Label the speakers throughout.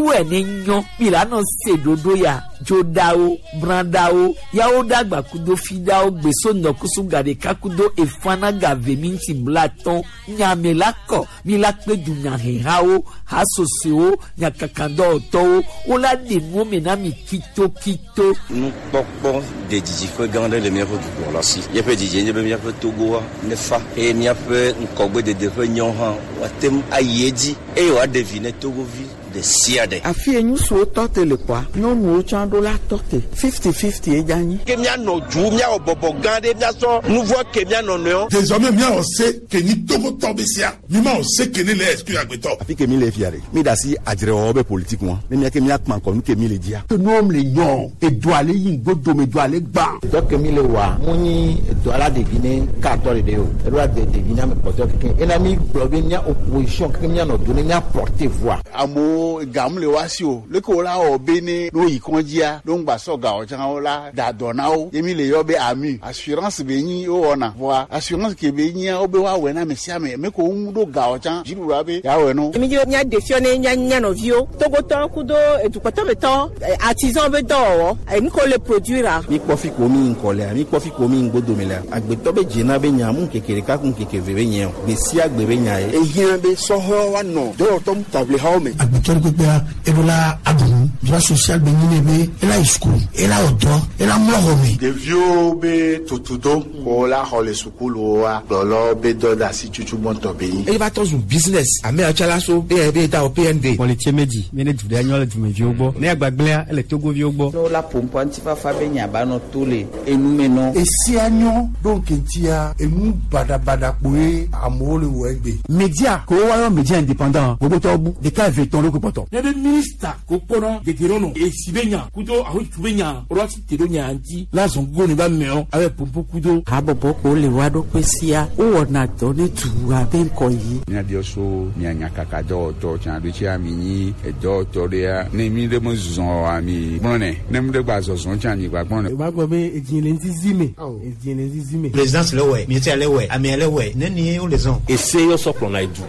Speaker 1: Miwɔe ne nyɔ mi la nɔ se ɖoɖo ya dzoɖawo brãɖawo yawo ɖagba kudo fiɖawo gbeso ŋdɔkusu gaɖeka kudo efana gave minti blatɔn nyame la kɔ mi la kpe dunyahehawo hasosoewo nyakakadɔwɔtɔwo wola ɖe nuwo me na mi kitokito.
Speaker 2: Nukpɔkpɔ de didiƒe gã aɖe le míaƒe dukplɔla si. Míaƒe didie nye be míaƒe Togoa nefa eye míaƒe ŋkɔgbedede ƒe nyɔ hã woate ŋu ayi edzi eye wòaɖe vi ne Togovi ɖe sia ɖe.
Speaker 3: Afi ye ŋutsuwo tɔ te le kpɔa, nyɔnuwo tsã ɖo la tɔ te. Fifty-fifty ye dze anyi.
Speaker 4: Ke míanɔ du, míawɔ bɔbɔ gã ɖe, míasɔ nuvɔ̃ ke mía nɔnɔewo.
Speaker 5: Désormais míawɔ se ke nyi Togotɔ be sea, mímawɔ se ke ne le exclure agbetɔ.
Speaker 6: Afi ke mi le fia ɖe, mi ɖe asi adzrewɔwɔ be politique ŋua, ne mía ke mía kpa ŋkɔ nu ke mi le dzia.
Speaker 7: Ke nuwo le nyɔ, edua le yi ŋgodo me, edua le gbã.
Speaker 8: Dɔ ke mi le wɔa, mu nyi edua la ɖevi ne katɔ ɖeɖe o, eɖo la de ɖevi ne ame kpɔtɔe keke. Ena mi gblɔ be mía opposition keke mía nɔ do ne mía porter voix.
Speaker 9: Amewo gam le woa si o, leke wo la wɔ be ne wo yi kɔndzia, ne wo ŋgba sɔ ga o tsã wo la da dɔ na wo. Ye mi le yɔ be AMU, assurance be nyi wo wɔna. Vɔa assurance ke be nyia wo be woawɔe na ame sia ame, ame ke wo ŋu ɖo ga o tsã, dziɖuɖua be yeawɔe no.
Speaker 10: Mi dzi be mía ɖe fiɔ ne mía mía nɔviwo, Togotɔwo kudo edukpɔtɔmetɔ, artisan be dɔwɔwɔ, enu ke wole produire.
Speaker 6: Mi kpɔ fi ko mi ŋkɔ lea, mi kpɔ fi ko mi ŋgodo me lea, agbetɔ be dzena be nya mu ŋkeke ɖeka ku ŋkeke eve be nye o, gbe sia gbe be nya ye.
Speaker 11: Ehiã be sɔhɛwo woanɔ dɔwɔtɔ taʋlihawo me.
Speaker 12: Agbetɔ ɖe kpekpea, eɖo la aɖu nu, droit social be nyi ne be ela yi sukulu, ela wɔ dɔ, ela mlɔ xɔ me.
Speaker 13: Ɖeviwo be tutudo ko la xɔ le sukuluwoa, kplɔlawo be dɔ de asi tutu gbɔntɔ be nyi.
Speaker 14: Eye va tɔ zu business, ame yawo tsã la so eye be da wɔ PND.
Speaker 15: Kpɔlitse medzi be ne du ɖe nyɔ le dumeviwo gbɔ, ne agbagblẽa ele Togoviwo gbɔ.
Speaker 8: Ne wola ƒo ŋutifafa be nya ba nɔ to le enume nɔ.
Speaker 16: Esia nyɔ ɖo ŋkeŋtia enu baɖabaɖa kpoe amewo le wɔ egbe.
Speaker 7: Media ko woayɔ media indépendant gbogbotɔwo bu ɖeka eve tɔn ɖo ko kpɔtɔ.
Speaker 17: Ne be minista ko kpɔnɔ dedienɔnɔ esi be nya kudo ahotu be nya woɖo asi te ɖo nya ŋuti la zɔn gogo ne ba meɔ abe pompo kudo.
Speaker 3: Habɔbɔ ko le woa ɖokui sia wowɔna dɔ ne dua be ŋkɔ yi.
Speaker 18: Míabiɔ so mía nyakaka dɔwɔtɔ tsã ɖo tsia mi nyi edɔwɔtɔ ɖea ne mi ɖe me zɔ oa mi gblɔnɛ ne mi ɖe gba zɔzɔ tsã mi gba gblɔnɛ.
Speaker 19: O b'a gbɔ be edzi le ŋzizi me. Edzi le ŋzizi me.
Speaker 20: Présidence le wɛ, ministère le wɛ, amea le wɛ, ne ni wo le zɔn.
Speaker 21: Ese yɔ sɔ kplɔna edu.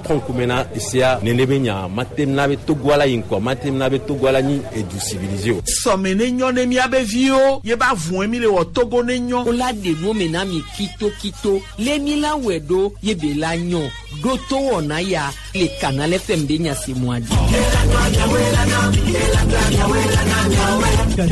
Speaker 21: Kɔn kume na esea nene be nya mate na be Togoa la yi ŋkɔ mate na be Togoa la nyi edu civilisé o.
Speaker 22: Sɔme ne nyɔ ne míabe viwo ye ba vɔe mi le wɔ Togo ne nyɔ.
Speaker 1: Wola ɖe nuwo me na mi kitokito le mi la wɔe ɖo ye be la nyɔ ɖo to wɔna ya le Canal FM be nya se mua dzi.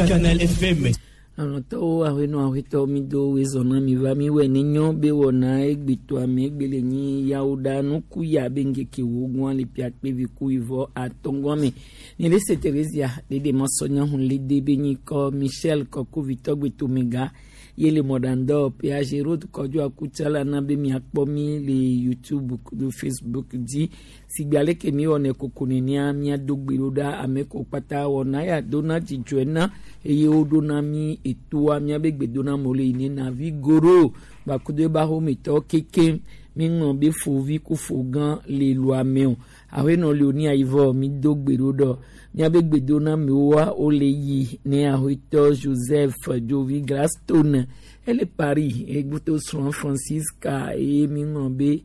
Speaker 23: Canal FM.
Speaker 1: Alɔtɔwo ahenɔ ahetɔ mi do wezɔna mi va mi wɔ ne nyɔ be wɔna egbetɔ ame egbe le nyi yawo ɖa nuku ya be ŋkeke wo gbɔn le pia kpevi ku ivɔ atɔngɔn me. Ni le se Theresia ɖeɖe mɔsɔnya hun le de be nyi kɔ Michel kɔkuvi tɔgbe tomega ye le mɔɖandɔ PAG road kɔdzo akutsala na be miakpɔ mi le YouTube kudo Facebook dzi. Sigbe aleke mi wɔnɛ koko nenea míado gbe ɖo ɖa ame ko kpata wɔna ya dona dzidzɔe na eye woɖona mi etoa míabe gbedoname le yi ne navi goro gbakudo ebe ahometɔwo keke mi ŋlɔ be fovi ku fo gã le lua me o. Ahenɔ le oni ayivɔ mi do gbe ɖo ɖɔ míabe gbedonamewoa wole yi ne ahetɔ Joseph Jovi Gladstone ele Paris egboto srɔ̃ Francisca eye mi ŋlɔ be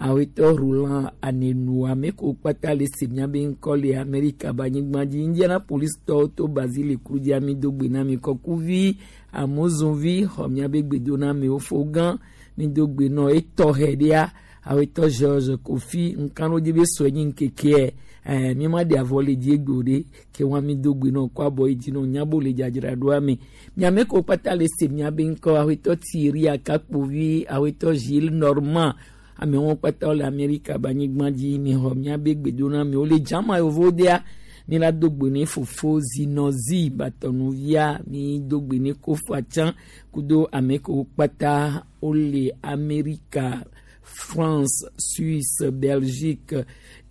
Speaker 1: awetɔ Roland Anenu ame ko kpata le se míabe ŋkɔ le Amerika be anyigba dzi Indianapolis tɔwo to Basile kru dzi ami do gbe na mi kɔkuvi amozonvi xɔ míabe gbedonamewo fo gã mi do gbe nɔ etɔxɛ ɖea awetɔ George Kofi nkanu dzi be sɔe nyi ŋkekeɛ ɛɛ mi ma ɖe avɔ le dzi egbe o ɖe ke wa mi do gbe nɔ kɔ abɔ yi dzi nɔ nyabo le dzadzraɖoa me miame ko kpata le se míabe ŋkɔ awetɔ Thierry Akakpovi awetɔ Gilles Normand amewo kpata le Amerika be anyigba dzi mi xɔ míabe gbedonamewo le dzama yevowo dea mi la do gbe ne fofo zinɔzi batɔnuvia mi do gbe ne kofa tsã kudo ame kewo kpata wole Amerika France, Suisse, Belgique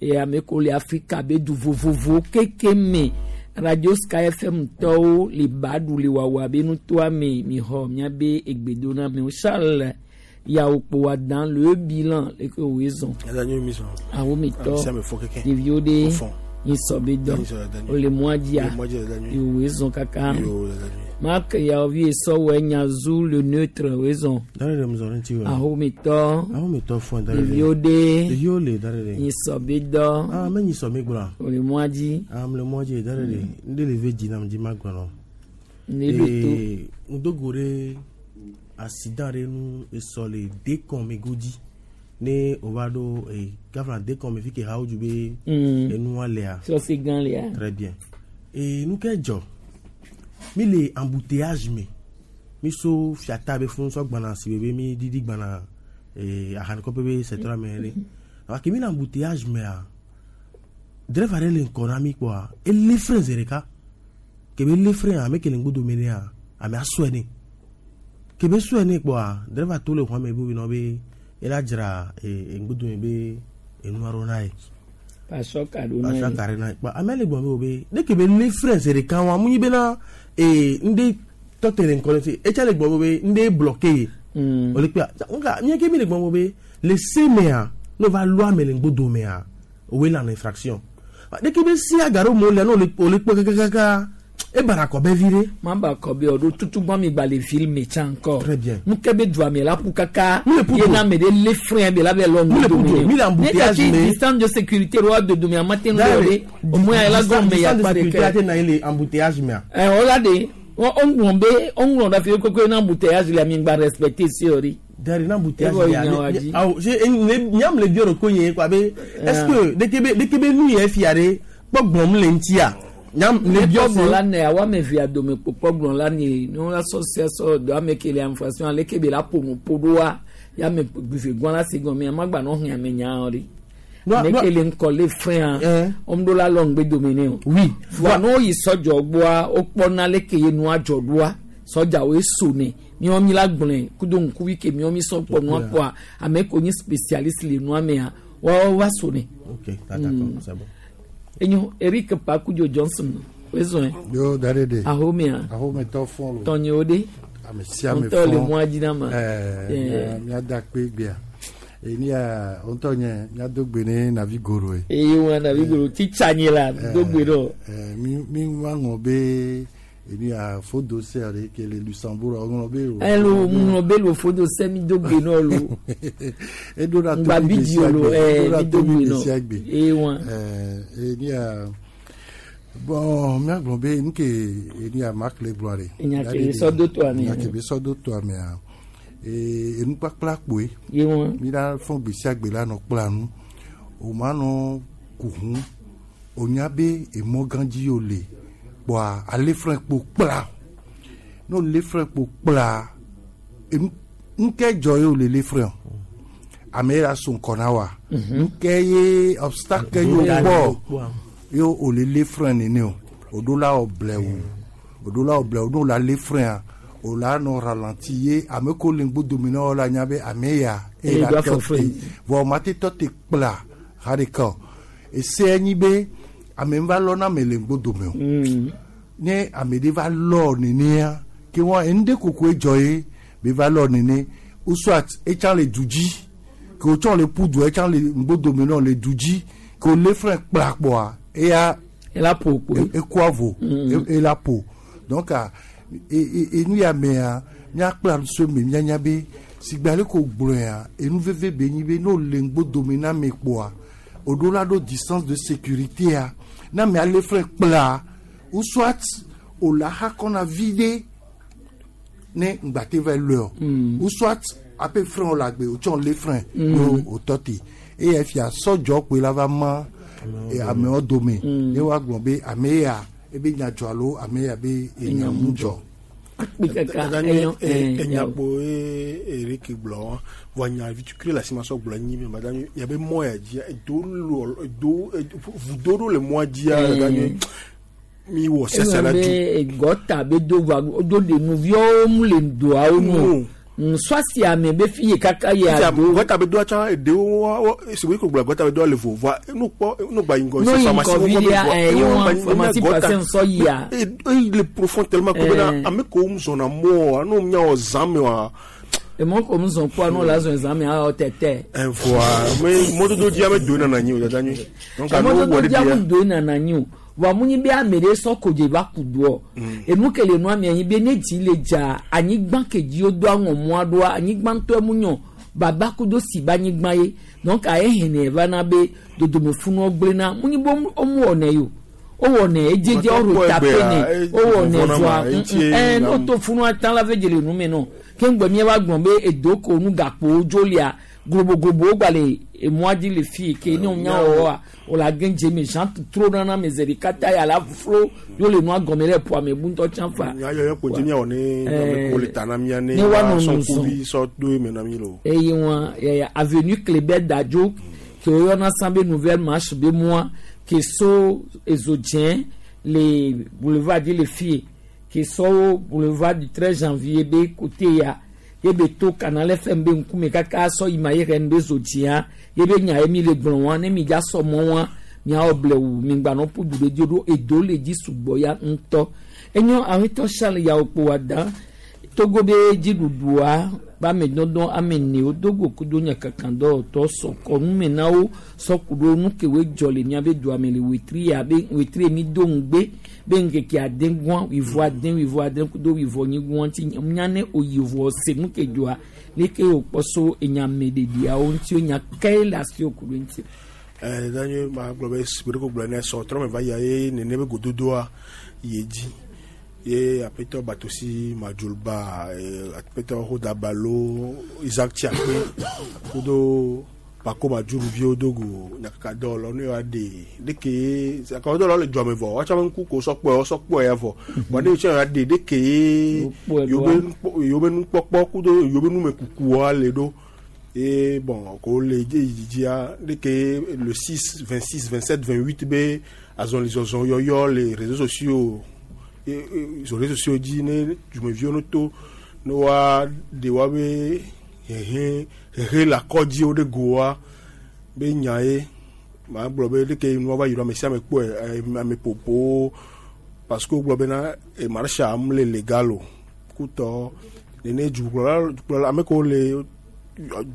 Speaker 1: et ame kewo le Afrika be du vovovowo keke me. Radio Sky FM tɔwo le baɖu le wawa be nutoa me mi xɔ míabe egbedonamewo Charles yawo kpo wa dans le bilan le ke woe zɔn. Awometɔ ɖeviwo ɖe nyi sɔ be dɔ wole mɔa dzia woe zɔn kaka. Marc Yaovi Sɔwɔ Nyazu le neutre wezɔn.
Speaker 19: Dare ɖe mzɔ ɖe ŋuti o.
Speaker 1: Ahomitɔ.
Speaker 19: Ahomitɔ fɔn dare ɖe.
Speaker 1: Ɖeviwo ɖe.
Speaker 19: Ɖeviwo le dare ɖe.
Speaker 1: Nyisɔbidɔ.
Speaker 19: Ah me nyisɔ mi gblɔ.
Speaker 1: O le mɔa dzi.
Speaker 19: Ah me le mɔa dzi dare ɖe. N de le ve dzi nam dzi ma gblɔ nɔ.
Speaker 1: Ne ɖo to.
Speaker 19: Ŋdogo ɖe accident ɖe nu esɔ le dekɔn me godzi ne o va ɖo e gafla dekɔn me fi ke hawo dzu be enua lea.
Speaker 1: Sɔsi gã lea.
Speaker 19: Très bien. E nu ke dzɔ mi le embouteillage me mi so fiata be funu sɔ gbana si be mi didi gbana e ahanikɔƒe be secteur me ɖe alors que mi le embouteillage mea driver ɖe le ŋkɔ na mi kpɔa ele frein zi ɖeka kebe le frein ame ke le ŋgbodo me nea amea sɔe nɛ kebe sɔe nɛ kpɔa driver to le xɔa me be nɔ be ela dzra e ŋgbodo me be enua ɖo na ye.
Speaker 1: Pasɔ ka ɖo na ye.
Speaker 19: Pasɔ ka ɖo na ye kpɔ ame le gbɔn be o be ne kebe le frein zi ɖeka wa mu nyi bena ee ŋɖe tɔte le ŋkɔ ne ti etsa le gbɔn be ŋɖe bloqué ye. O le kpea nka nye ke mi le gbɔn be le se mea n'o va lɔ ame le ŋgbodo mea o we lana infraction ne ke be si aga ɖo mo le n'o le o le kpɔ kakakaka e bara kɔ bɛ vi ɖe.
Speaker 1: Ma ba kɔ be o ɖo tutu gbɔn mi gba le ville me tsã kɔ.
Speaker 19: Très bien.
Speaker 1: Nu ke be dua me la ƒu kaka.
Speaker 19: Mi le ƒu
Speaker 1: Ye
Speaker 19: do.
Speaker 1: na ame ɖe le frein be la be lɔ
Speaker 19: Mi le
Speaker 1: ŋgbodo
Speaker 19: ƒu do.
Speaker 1: me.
Speaker 19: Mi le embouteillage
Speaker 1: Ne
Speaker 19: me.
Speaker 1: kati distance de sécurité ɖo do dome ama te ŋu ɖe o ɖe. Au moins la gɔme ya
Speaker 19: distance de
Speaker 1: kpa
Speaker 19: sécurité
Speaker 1: ɖeke.
Speaker 19: ate na ye le embouteillage mea.
Speaker 1: Ɛ o la de o ŋlɔ be o ŋlɔ ɖe fi koko na embouteillage le ami gba respecter si o ɖi.
Speaker 19: Dari na embouteillage
Speaker 1: Evɔ
Speaker 19: lea,
Speaker 1: yi nyawo dzi.
Speaker 19: awo je ne nyam le bio ko ye quoi be est-ce que deke be nu ye fia ɖe kpɔ gblɔm le ŋutia nyam le bio
Speaker 1: kpɔgblɔ la ne awo ame evea dome kpo kpɔgblɔ la ne ne la sɔ sia sɔ do ame ke le infraction ale ke be la ƒo nu ƒo ɖoa ya ame gbe gbɔn la si gɔme ama gba nɔ hɛn ame nya ɖi. Ame ke le ŋkɔ le frein wɔm ɖo la lɔ ŋgbe dome ne o.
Speaker 19: Oui.
Speaker 1: Voa ne woyi sɔdzɔ gbɔa wokpɔna leke ye nua dzɔ ɖoa sɔdzawoe so ne miɔ mi la gblɔe kudo ŋkuvi ke miɔ mi sɔ kpɔ nua kpɔa ame ko nye spécialiste le nua mea woawo va so ne.
Speaker 19: Ok, d'accord, c'est bon.
Speaker 1: Enyo Eric Pakudzo Johnson wezɔn.
Speaker 16: Yo dare de.
Speaker 1: Ahomea.
Speaker 16: Ahometɔ fɔn lo.
Speaker 1: Tɔnyewo ɖe.
Speaker 16: Ame sia ame
Speaker 1: Ŋutɔ le
Speaker 16: fɔn.
Speaker 1: mɔa dzi na ma.
Speaker 16: Ɛɛ
Speaker 1: Ɛɛ.
Speaker 16: miada kpe gbea. Eni ya ŋutɔ nye miado gbe ne navi goro ye.
Speaker 1: Eye wɔn navi goro titsa nyi la do gbe ɖo.
Speaker 16: Ɛɛ mi mi wa ŋlɔ be eni ya fodo se ɖe ke le Luxembourg ŋlɔ be o.
Speaker 1: Ɛlo ŋlɔ be lo fodo se mi do gbe nɔ lo.
Speaker 16: Edo la
Speaker 1: Ŋgba
Speaker 16: tobi
Speaker 1: bi
Speaker 16: gbe
Speaker 1: di
Speaker 16: sia
Speaker 1: o lo
Speaker 16: gbe.
Speaker 1: ɛɛ
Speaker 16: Edo la
Speaker 1: mi do
Speaker 16: tobi
Speaker 1: gbe
Speaker 16: gbe
Speaker 1: nɔ.
Speaker 16: sia gbe.
Speaker 1: Eye wɔn.
Speaker 16: Ɛɛ eni ya bon miagblɔ be nu ke eni ya Marc le gblɔ ɖe.
Speaker 1: Enya ke be sɔ do toa mea.
Speaker 16: Enya ke be sɔ do toa mea. Ee enukpakpla kpoe.
Speaker 1: Ye wɔn.
Speaker 16: Mi la fɔn gbe sia gbe la nɔ kpla nu. O ma nɔ kuhu. O nya be emɔ gã dzi yo le. Kpɔa ale frein kpo kpla. No le frein kpo kpla. Enu nuke dzɔ ye o le le frein o. Ame ye la so ŋkɔ na wa. Nuke ye obstacle ye o kpɔ ye o le le frein nene o. O do la wɔ blɛwu. O do la wɔ blɛwu n'o la le frein a o la nɔ ralenti ye ame ko le ŋgbodome na wo la nya be ame ya
Speaker 1: Eye
Speaker 16: la
Speaker 1: do
Speaker 16: tɔ
Speaker 1: afɔ
Speaker 16: te.
Speaker 1: frein.
Speaker 16: Vɔ o ma te tɔ te kpla ha ɖeka o. Ese nyi be ame va lɔ na ame le ŋgbodome o. Ne ame ɖe va lɔ nenea ke wɔn enu ɖe kokoe dzɔ ye be va lɔ nene ou soit etsã le du dzi ke wotsɔ le ƒu du etsã le ŋgbodome nɔ le du dzi ke wòlé frein kpla kpɔa eya.
Speaker 1: Ela ƒo kpoe.
Speaker 16: Ekua vo ela ƒo donc a enu ya mea míakpla so me míanya be sigbe ale ko gblɔea enu veve be nyi be ne wòle ŋgbodome na ame kpɔa o ɖo la ɖo distance de sécurité a na ame ale frein kpla ou soit o la xa kɔna vi ɖe ne ŋgbate va lɔe o ou soit ape frein o la gbe o tsɔ le frein o o tɔ te eye fia sɔdzɔ kpoe la va ma amewo dome ye woagblɔ be ame ya ebe nya dzɔ alo ame ya be enya mu dzɔ.
Speaker 1: Akpe kaka
Speaker 2: Kaka
Speaker 1: enyo
Speaker 2: nye
Speaker 1: ɛɛ
Speaker 2: enyakpo ye Eric gblɔ wa vɔ nya vitukui le asi ma sɔ gblɔ nyi mi madame yabe mɔ ya dzia edo lɔ edo vudo ɖo le mɔa dzia dada nye mi wɔ sese la
Speaker 1: Ewɔ
Speaker 2: du.
Speaker 1: be gɔta be do va do de nuviawo mu le doawo nu. Nsɔasi ame be fi ye kaka ye ado.
Speaker 2: Gɔta be doa tsã eɖewo wa wa esi ko gblɔ gɔta be doa le vo vɔa nu kpɔ nu gba yi ŋgɔ
Speaker 1: No
Speaker 2: se
Speaker 1: yi
Speaker 2: pharmacie
Speaker 1: ŋgɔ
Speaker 2: wo
Speaker 1: vi
Speaker 2: gbɔ be
Speaker 1: ɖea,
Speaker 2: vɔa,
Speaker 1: ɛ,
Speaker 2: ewo
Speaker 1: ye
Speaker 2: gba
Speaker 1: wɔn
Speaker 2: yi-
Speaker 1: pharmacie
Speaker 2: gɔta-
Speaker 1: patient sɔ yia.
Speaker 2: Eyi le profond tellement que bena ame kewo zɔna mɔa n'o miawɔ zã me wa.
Speaker 1: Emɔ ko mu zɔn kpɔa n'o la zɔn zã me awɔ tɛtɛ.
Speaker 2: Voa me mɔdodo dzia me do nana anyi o dada nyui. Donc ame wo wɔ
Speaker 1: Mɔdodo
Speaker 2: ɖe
Speaker 1: dzia
Speaker 2: bia.
Speaker 1: mu do nana anyi o. Vɔa mu nyi be ame ɖe sɔ kodze va ku doɔ. Enu ke le nua mea nyi be ne dzi le dza anyigba ke dzi wodo aŋɔ mɔa ɖoa anyigba ŋutɔe mu nyɔ baba kudo si be anyigba ye. Donc ehene va na be dodome funuwo gblẽna. Mu nyi be womu wɔnɛ yi o. Wowɔnɛ edzedze wo tape nɛ. Wowɔnɛ vɔa ɛɛ ne woto funua tã la ve dze le nu me nɔ. Ke ŋgbe míava gblɔ be edo ko nu gakpowo dzo lia globoglobowo gba le emɔa dzi le fi ke ne wonya wɔwɔa wòle age dze me jean trona na me ze ɖeka ta ya la flo yo le nua gɔme ɖe ƒoa me bu ŋutɔ tsã fa.
Speaker 2: Nya yɔyɔ ko dzi miawɔ ne ame ko le ta na mia ne
Speaker 1: Ne woanɔ
Speaker 2: sɔ
Speaker 1: nu zɔn.
Speaker 2: ŋkuvi sɔ do eme na mi lo.
Speaker 1: Eye wɔn yaya avenue Kléber Dadzo ke woyɔna sã be nouvelle marche be mɔa ke so ezo dzẽ le boulevard dzi le fie ke sɔwo boulevard du 13 janvier be côté ya ye be to Canal FM be ŋkume kaka sɔ yi ma ye rɛn be zo dzĩa ye be nya ye mi le gblɔ wɔn ne mi dza sɔ mɔ wɔn miawɔ blewu mi gbanɔ ƒu du ɖe dzi ɖo edo le dzi sugbɔ ya ŋutɔ enyo awetɔ Charles yawo kpo wa dan Togo be dziɖuɖua be ame dɔdɔ ame ene wodo go kudo nyakakadɔwɔtɔ sɔkɔ nume na wo sɔku ɖo nu ke woe dzɔ le miabe dua me le wetri ya be wetri mi do ŋugbe be ŋkeke ade gɔa wivɔ ade wivɔ ade kudo wivɔ nyi gɔa ŋuti nya ne oyi vɔ se nu ke dzɔa leke wòkpɔ so enyameɖeɖiawo ŋuti enya kae le asi ku ɖe ŋuti.
Speaker 2: Ɛɛ danye ma gblɔ be si ɖe ko gblɔ ne sɔ trɔ me va yia ye nene be gododoa yi dzi ye aƒetɔ Batosi Madjolba aƒetɔ Hodabalo Isaac Tsiakpe kudo Pako Madjuruviwo do go nyakakadɔwɔlawo ne yewoa ɖe ɖeke nyakakadɔwɔlawo le dua me vɔ woatsɔ ame ŋku ko sɔ kpɔe wosɔ kpɔe ya vɔ vɔ ne wotsɔ yewoa ɖe ɖeke ye yewo be nukpɔkpɔ kudo yewo be numekukua le ɖo et bon ko le dzia ɖeke le 6 26 27 28 be azɔlizɔzɔ yɔyɔ le réseaux sociaux sur réseaux sociaux dzi ne dumeviwo no to ne woa ɖe woabe hehe hehe le akɔdziwo ɖe goa be nya ye maa gblɔ be ɖeke nua va yi ɖo ame sia ame kpɔe ame ƒoƒowo parce que wogblɔ bena marche mu le légal o kutɔ nene dukplɔla dukplɔla ame kewo le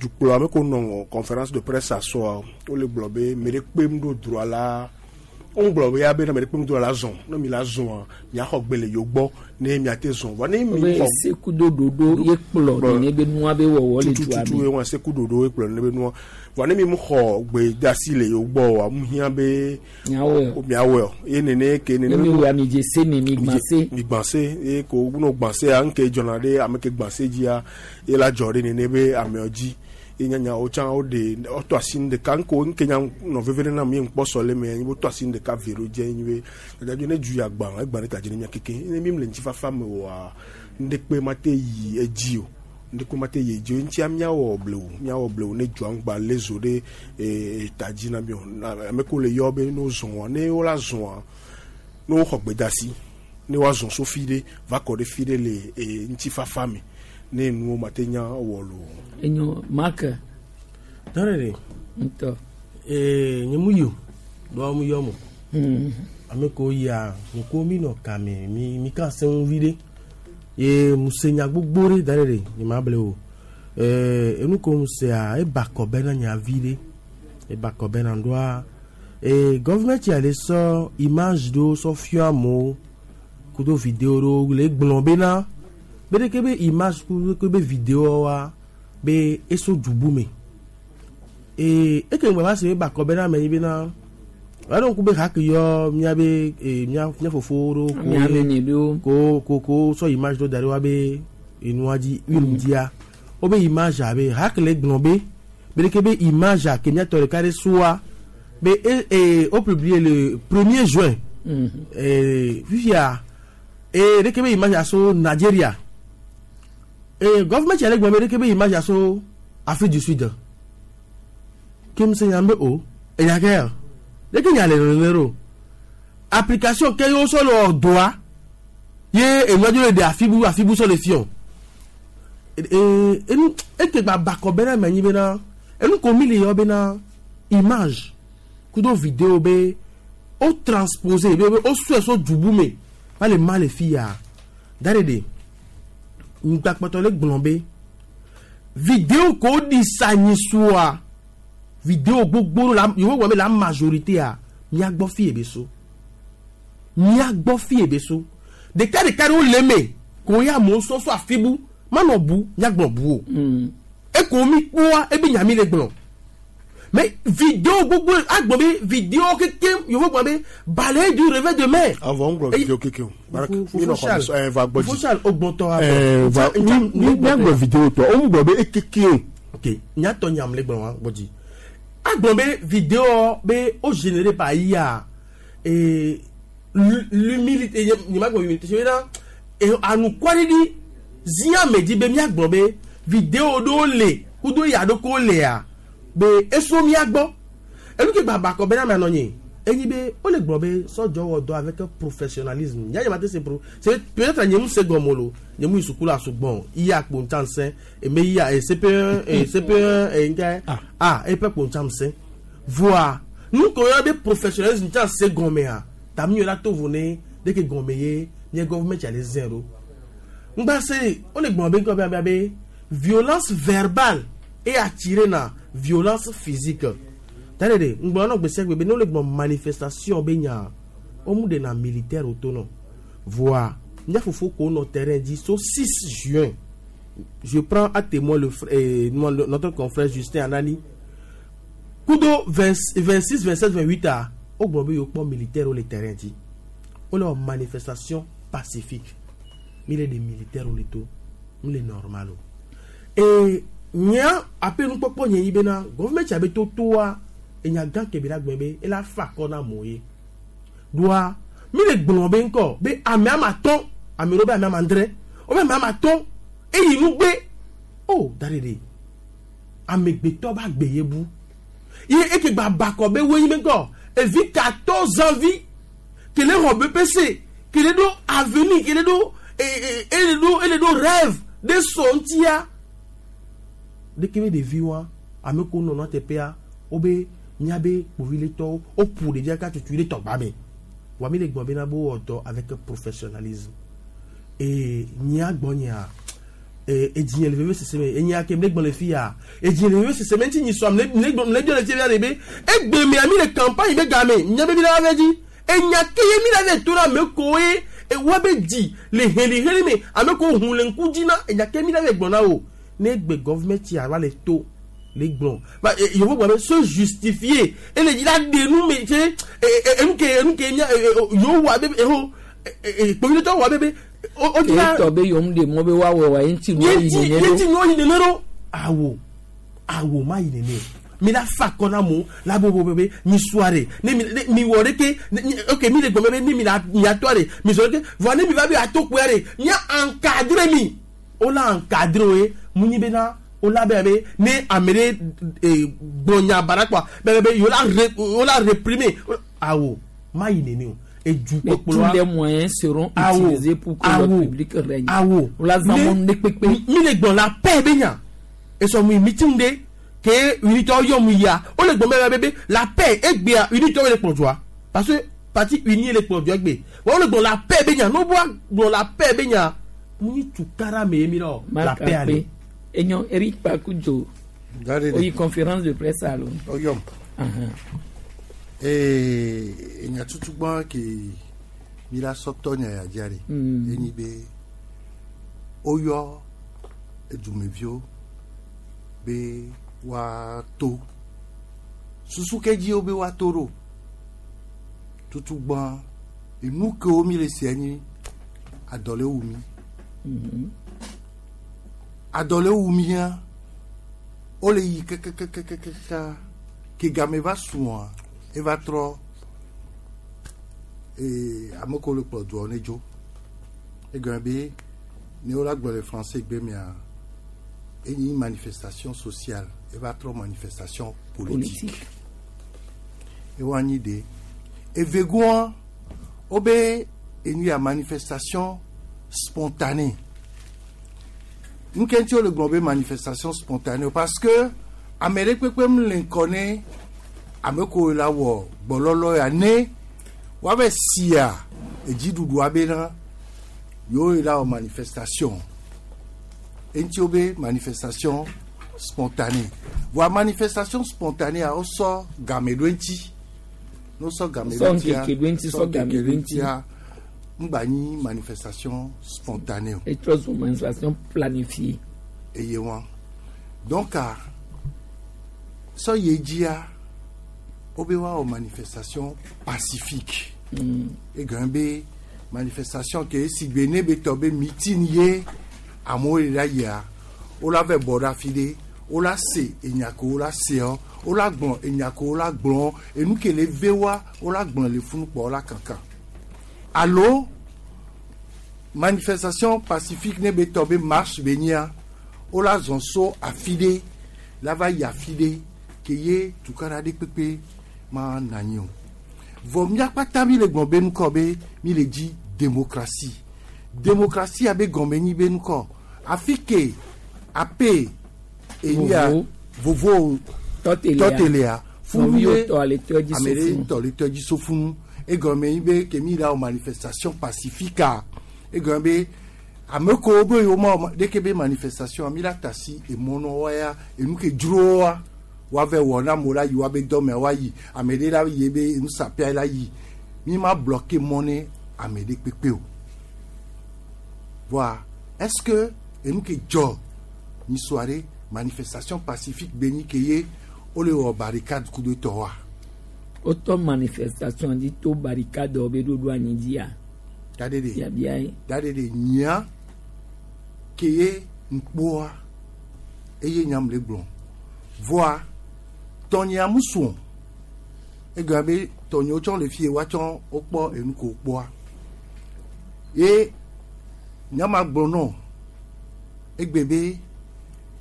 Speaker 2: dukplɔ ame kewo nɔ conférence de presse asɔa wole gblɔ be me ɖe kpem ɖo droit la wogblɔ be ya be ne me ɖe kpem ɖo droit la zɔn ne mi la zɔn miaxɔ gbe le yewo gbɔ ne miate zɔn vɔ ne mi
Speaker 1: xɔ sekudo ɖoɖo ye kplɔ nene be nua be wɔwɔ le dua
Speaker 2: tututu ye wɔn seku ɖoɖo ye kplɔ nene be nua vɔ ne mi mu xɔ gbe de asi le yewo gbɔ wa mu hiã be miawɔe o ye nene ke nene
Speaker 1: mi wɔ ami dze se mi mi gbã se
Speaker 2: mi gbã se ye ko no gbã sea ŋke dzɔna ɖe ame ke gbã se dzia ye la dzɔ ɖe nene be amewo dzi ye nyanya wo tsã woɖe wotɔ asi nu ɖeka ŋko ŋke nya nɔ veve ɖe nam ye ŋkpɔ sɔ le me ye wotɔ asi nu ɖeka ve ɖo dze nyi be dadadzo ne du ya gbã egbã ɖe ta dzi ne mia keke ne mi le ŋutifafa me oa ŋɖekpe ma te yi edzi o ŋɖekpe ma te yi edzi o ŋutia miawɔ blewu miawɔ blewu ne dua ŋgba lé zo ɖe ta dzi na mi o ame kewo le yɔ be ne wozɔa ne wola zɔa ne woxɔ gbedasi ne woazɔ so fi ɖe va kɔ ɖe fi ɖe le ŋutifafa me ne nuwo ma te nya wɔ lo.
Speaker 1: Enyo Mark.
Speaker 19: Tɔrɔ de.
Speaker 1: Ŋutɔ.
Speaker 19: Ee nye mu yi o dɔw mu yɔ mo. Ame kewo yia ŋkuwo mi nɔ kame mi mi ka se ŋu vi ɖe ye mu se nya gbogbo ɖe da ɖe ɖe nye ma ble o. Ee enu ko mu sea eba kɔ be na nya vi ɖe eba kɔ be na ɖoa ee gɔvumɛnti ale sɔ image ɖewo sɔ fia amewo kudo video ɖewo le gblɔ be na be ɖeke be image kudo ke be video wa be eso dubu me ee eke ŋgbe va se be bakɔ be na ame yi be na wàá ŋku be haki yɔ miabe ee mia mia fofowo ɖewo ko ko ko sɔ image ɖewo da ɖe wa be enua dzi une dzia wo be image abe haki le gblɔ be be ɖeke be image a ke miatɔ ɖeka ɖe soa be e ee wo publier le 1er juin ee fifia ee ɖeke be image a so Nigeria ee gɔvumɛnti yɛrɛ gbɔ be ɖeke be image a so Afrique du Sud ke mi se nya be o eya ke ya ɖeke nya le nene ɖo application ke yewo sɔ le ɔdɔa ye enua dzo le ɖe afibu afibu sɔ le fiɔ ee enu ete gba bakɔ bena me anyi bena enu ko mi le yɔ bena image kudo video be o transpose be o sɔe so dubu me va le ma le fi ya da ɖe ɖe ŋgbakpɔtɔ le gblɔ be video ko ɖi sa nyi soa video gbogbo la yewo gblɔ be la majorité a miagbɔ fi ye be so. Mía gbɔ fi ebe so. Ɖeka ɖeka ɖewo le eme ko ya amewo sɔ so afi bu manɔ bu míagblɔ bu o. Eko mi kpɔa ebe nya mi le gblɔ. Mais vidéo gbogbo agblɔ be vidéo keke yovo gblɔ be balayer du revers de main.
Speaker 2: Avɔ ŋgblɔ vidéo keke o.
Speaker 19: Fofo Charles, Fofo Charles, o gbɔtɔ
Speaker 2: abɔ. Va mi míagblɔ vidéo tɔ o ŋgblɔ be ekeke o.
Speaker 19: Ok, nyatɔ nyam le gblɔ wa gbɔdzi. Agblɔ be vidéo be o généré par IA et l'humilité nye ma gblɔ humilité c'est na anukwaɖiɖi zia me dzi be míagblɔ be vidéo ɖewo le kudo ya ɖo ko lea be eso mía gbɔ enu ke gbagba kɔ bena mia nɔ nye enyi be wole gblɔ be sɔdzɔ wɔ dɔ avec professionnalisme nya nye ma te se pro c'est peut-être nye mu se gɔme lo nye mu yi sukulu asugbɔn iya kpo ntsa nsẽ eme iya CP1 CP1 ŋkɛ ah eƒe kpo ntsa nsẽ voa nu ko yɔ be professionnalisme ntsa se gɔmea tami yɔ la to vo ne de ke gɔme ye nye gouvernement tsa le zɛn ɖo ŋgba se wole gblɔ be ŋkɔ be be violence verbale et attiré na violence physique tare de ŋgblɔ nɔ gbèsè gbe be ne wole gblɔ manifestation be nya womu de na militaire o to nɔ voa mía fofo ko nɔ terrain dzi so 6 juin, je prends à témoin le notre confrère Justin Anani kudo 20, 26, 27, 28 a wogblɔ be yewo kpɔ militaire wo le terrain dzi wole wɔ manifestation pacifique. Mi le de militaire wo le to mi le normal o et nya ape nukpɔkpɔ nye yi bena gouvernement tsa be to toa enya gã ke be la gblɔ be ela fa akɔ na amewo ye doa mi le gblɔ be ŋkɔ be ame ama tɔn ame ɖewo be ame ama adre wo be ame ama tɔn eyi nugbe o da ɖe ɖe amegbetɔ ba gbe ye bu ye eke gba bakɔ be woyi be ŋkɔ evi 14 ans vi kele xɔ BEPC kele ɖo avenir kele ɖo ele ɖo ele ɖo rêve de sɔ ŋutia ɖeke be ɖevi wa ame ko nɔ teƒea wobe míabe kpoviletɔwo woƒo ɖevia ka tutu ɖe tɔgba me wa mi le gblɔ bena bo wɔ dɔ avec professionnalisme et nyia gbɔ nyia edzinye le veve sese me enya ke mle gblɔ le fi ya edzinye le veve sese me ŋuti nyi sɔm le gblɔ le biɔ le fi ya de be egbe mea mi le campagne be game nya be mi la va dzi enya ke ye mi la va to na ame ko ye wa be dzi le heliheli me ame ko hu le ŋku dzi na enya ke mi la va gblɔ na o ne gbe gouvernement ya va le to le gblɔ ba yewo gblɔ be se justifier ele dzi la ɖe nu me tse enu ke enu ke nya yewo wɔ abe eho kpovitɔ wɔ abe be o di la
Speaker 1: etɔ be yom de mɔ be woawɔ wa ye ŋuti nuwo yi nene
Speaker 19: ɖo ye ŋuti nuwo yi nene ɖo awo awo ma yi nene mi la fa kɔ na mo la bo bo be mi soare ne mi mi wɔ ɖe ke ok mi le gbɔmɛ be ne mi la mi atɔ de mi sɔ ɖe ke vɔ ne mi va be ato kpoya de mia encadre mi o la encadre o ye mu nyi bena o la bɛ be ne ame ɖe gblɔ nya baɖa kpɔa bɛ be yewo la re o la réprimer awo ma yi nene o.
Speaker 1: Mais tous les moyens seront utilisés pour que l'ordre public règne.
Speaker 19: Awo.
Speaker 1: La zamon ne kpekpe.
Speaker 19: Mi le gbɔn la paix be nya. Esɔ mu meeting de ke unité yɔ mu ya o le gbɔn bɛ bɛ la paix egbea unité le kplɔ dzoa parce que parti uni le kplɔ dzoa egbe wa o le gbɔn la paix be nya n'o bɔ gbɔn la paix be nya mu ni tukara me ye mi lɔ la paix ale.
Speaker 1: Enyo Eric Pakudzo. Oyi conférence de presse alo.
Speaker 16: Oyom. Enya tutugbɔn ke mi la sɔtɔ nya ya dzia de enyi be woyɔ edumeviwo be woato susu ke dzi wo be woato ɖo tutugbɔn enu kewo mi le se nyi adɔ le wu mi adɔ le wu mia wole yi kekekekekeka ke game va sua eva trɔ ame kewo le kplɔ dua ne dzo egɔme be ne wola gblɔ le français gbe mea enyi manifestation sociale eva trɔ manifestation politique ewa anyi de evegoa wobe enu ya manifestation spontanée nu ke ŋuti wole gblɔ be manifestation spontanée parce que ame ɖe kpekpe mu le ŋkɔ ne ame ko la wɔ gbɔlɔlɔ ya ne woave sia edziɖuɖua bena yewo la wɔ manifestation eŋuti wo be manifestation spontanée voa manifestation spontanée a wosɔ game ɖo eŋuti ne wosɔ game ɖo
Speaker 1: Sɔ ŋkeke ɖo eŋuti, sɔ game ɖo eŋuti.
Speaker 16: ŋutia ŋgba nyi manifestation spontanée o.
Speaker 1: Etrɔ zu manifestation planifiée.
Speaker 16: Eye wa donc a sɔ ye dzia wobe woawɔ manifestation pacifique. Egɔme be manifestation ke si gbe ne be tɔ be meeting ye amewo le la yia wola vɛ bɔ ɖe afi ɖe wola se enya ke wola seɔ wola gblɔ enya ke wola gblɔ enu ke le ve wa wola gblɔ le funu kpɔ wola kankan alo manifestation pacifique ne be tɔ be marche be nyia wola zɔn so afi ɖe la va yi afi ɖe ke ye tukaɖa ɖe kpekpe ma na anyi o vɔ mía kpata mi le gblɔ be nukɔ be mi le dzi démocratie démocratie abe gɔme nyi be nukɔ afi ke ape enyia vovo tɔtelea funu ye ame ɖe tɔ le tɔ dzi so funu egɔme nyi be ke mi la wɔ manifestation pacifique egɔme be ame kewo be yewo ma wɔ ɖeke be manifestation mi la ta si emɔnɔ ya enu ke dzroa woave wɔ na amewo la yi woabe dɔmea woayi ame ɖe la yi be nusapia la yi mi ma bloquer mɔ ne ame ɖe kpekpe o voa est-ce que enu ke dzɔ nyi soirée manifestation pacifique be nyi ke ye wole wɔ barricade ku ɖe tɔ wa.
Speaker 1: Wotɔ manifestation dzi to barricade wo be ɖoɖo anyi dzia.
Speaker 16: Da ɖe ɖe
Speaker 1: Biabia ye.
Speaker 16: Da ɖe ɖe nyia ke ye ŋkpɔa eye nyam le gblɔ voa tɔnyea mu sùn egɔme be tɔnyewo tsɔ le fie woatsɔ wokpɔ enu ko kpɔa ye nyama gblɔ nɔ egbe be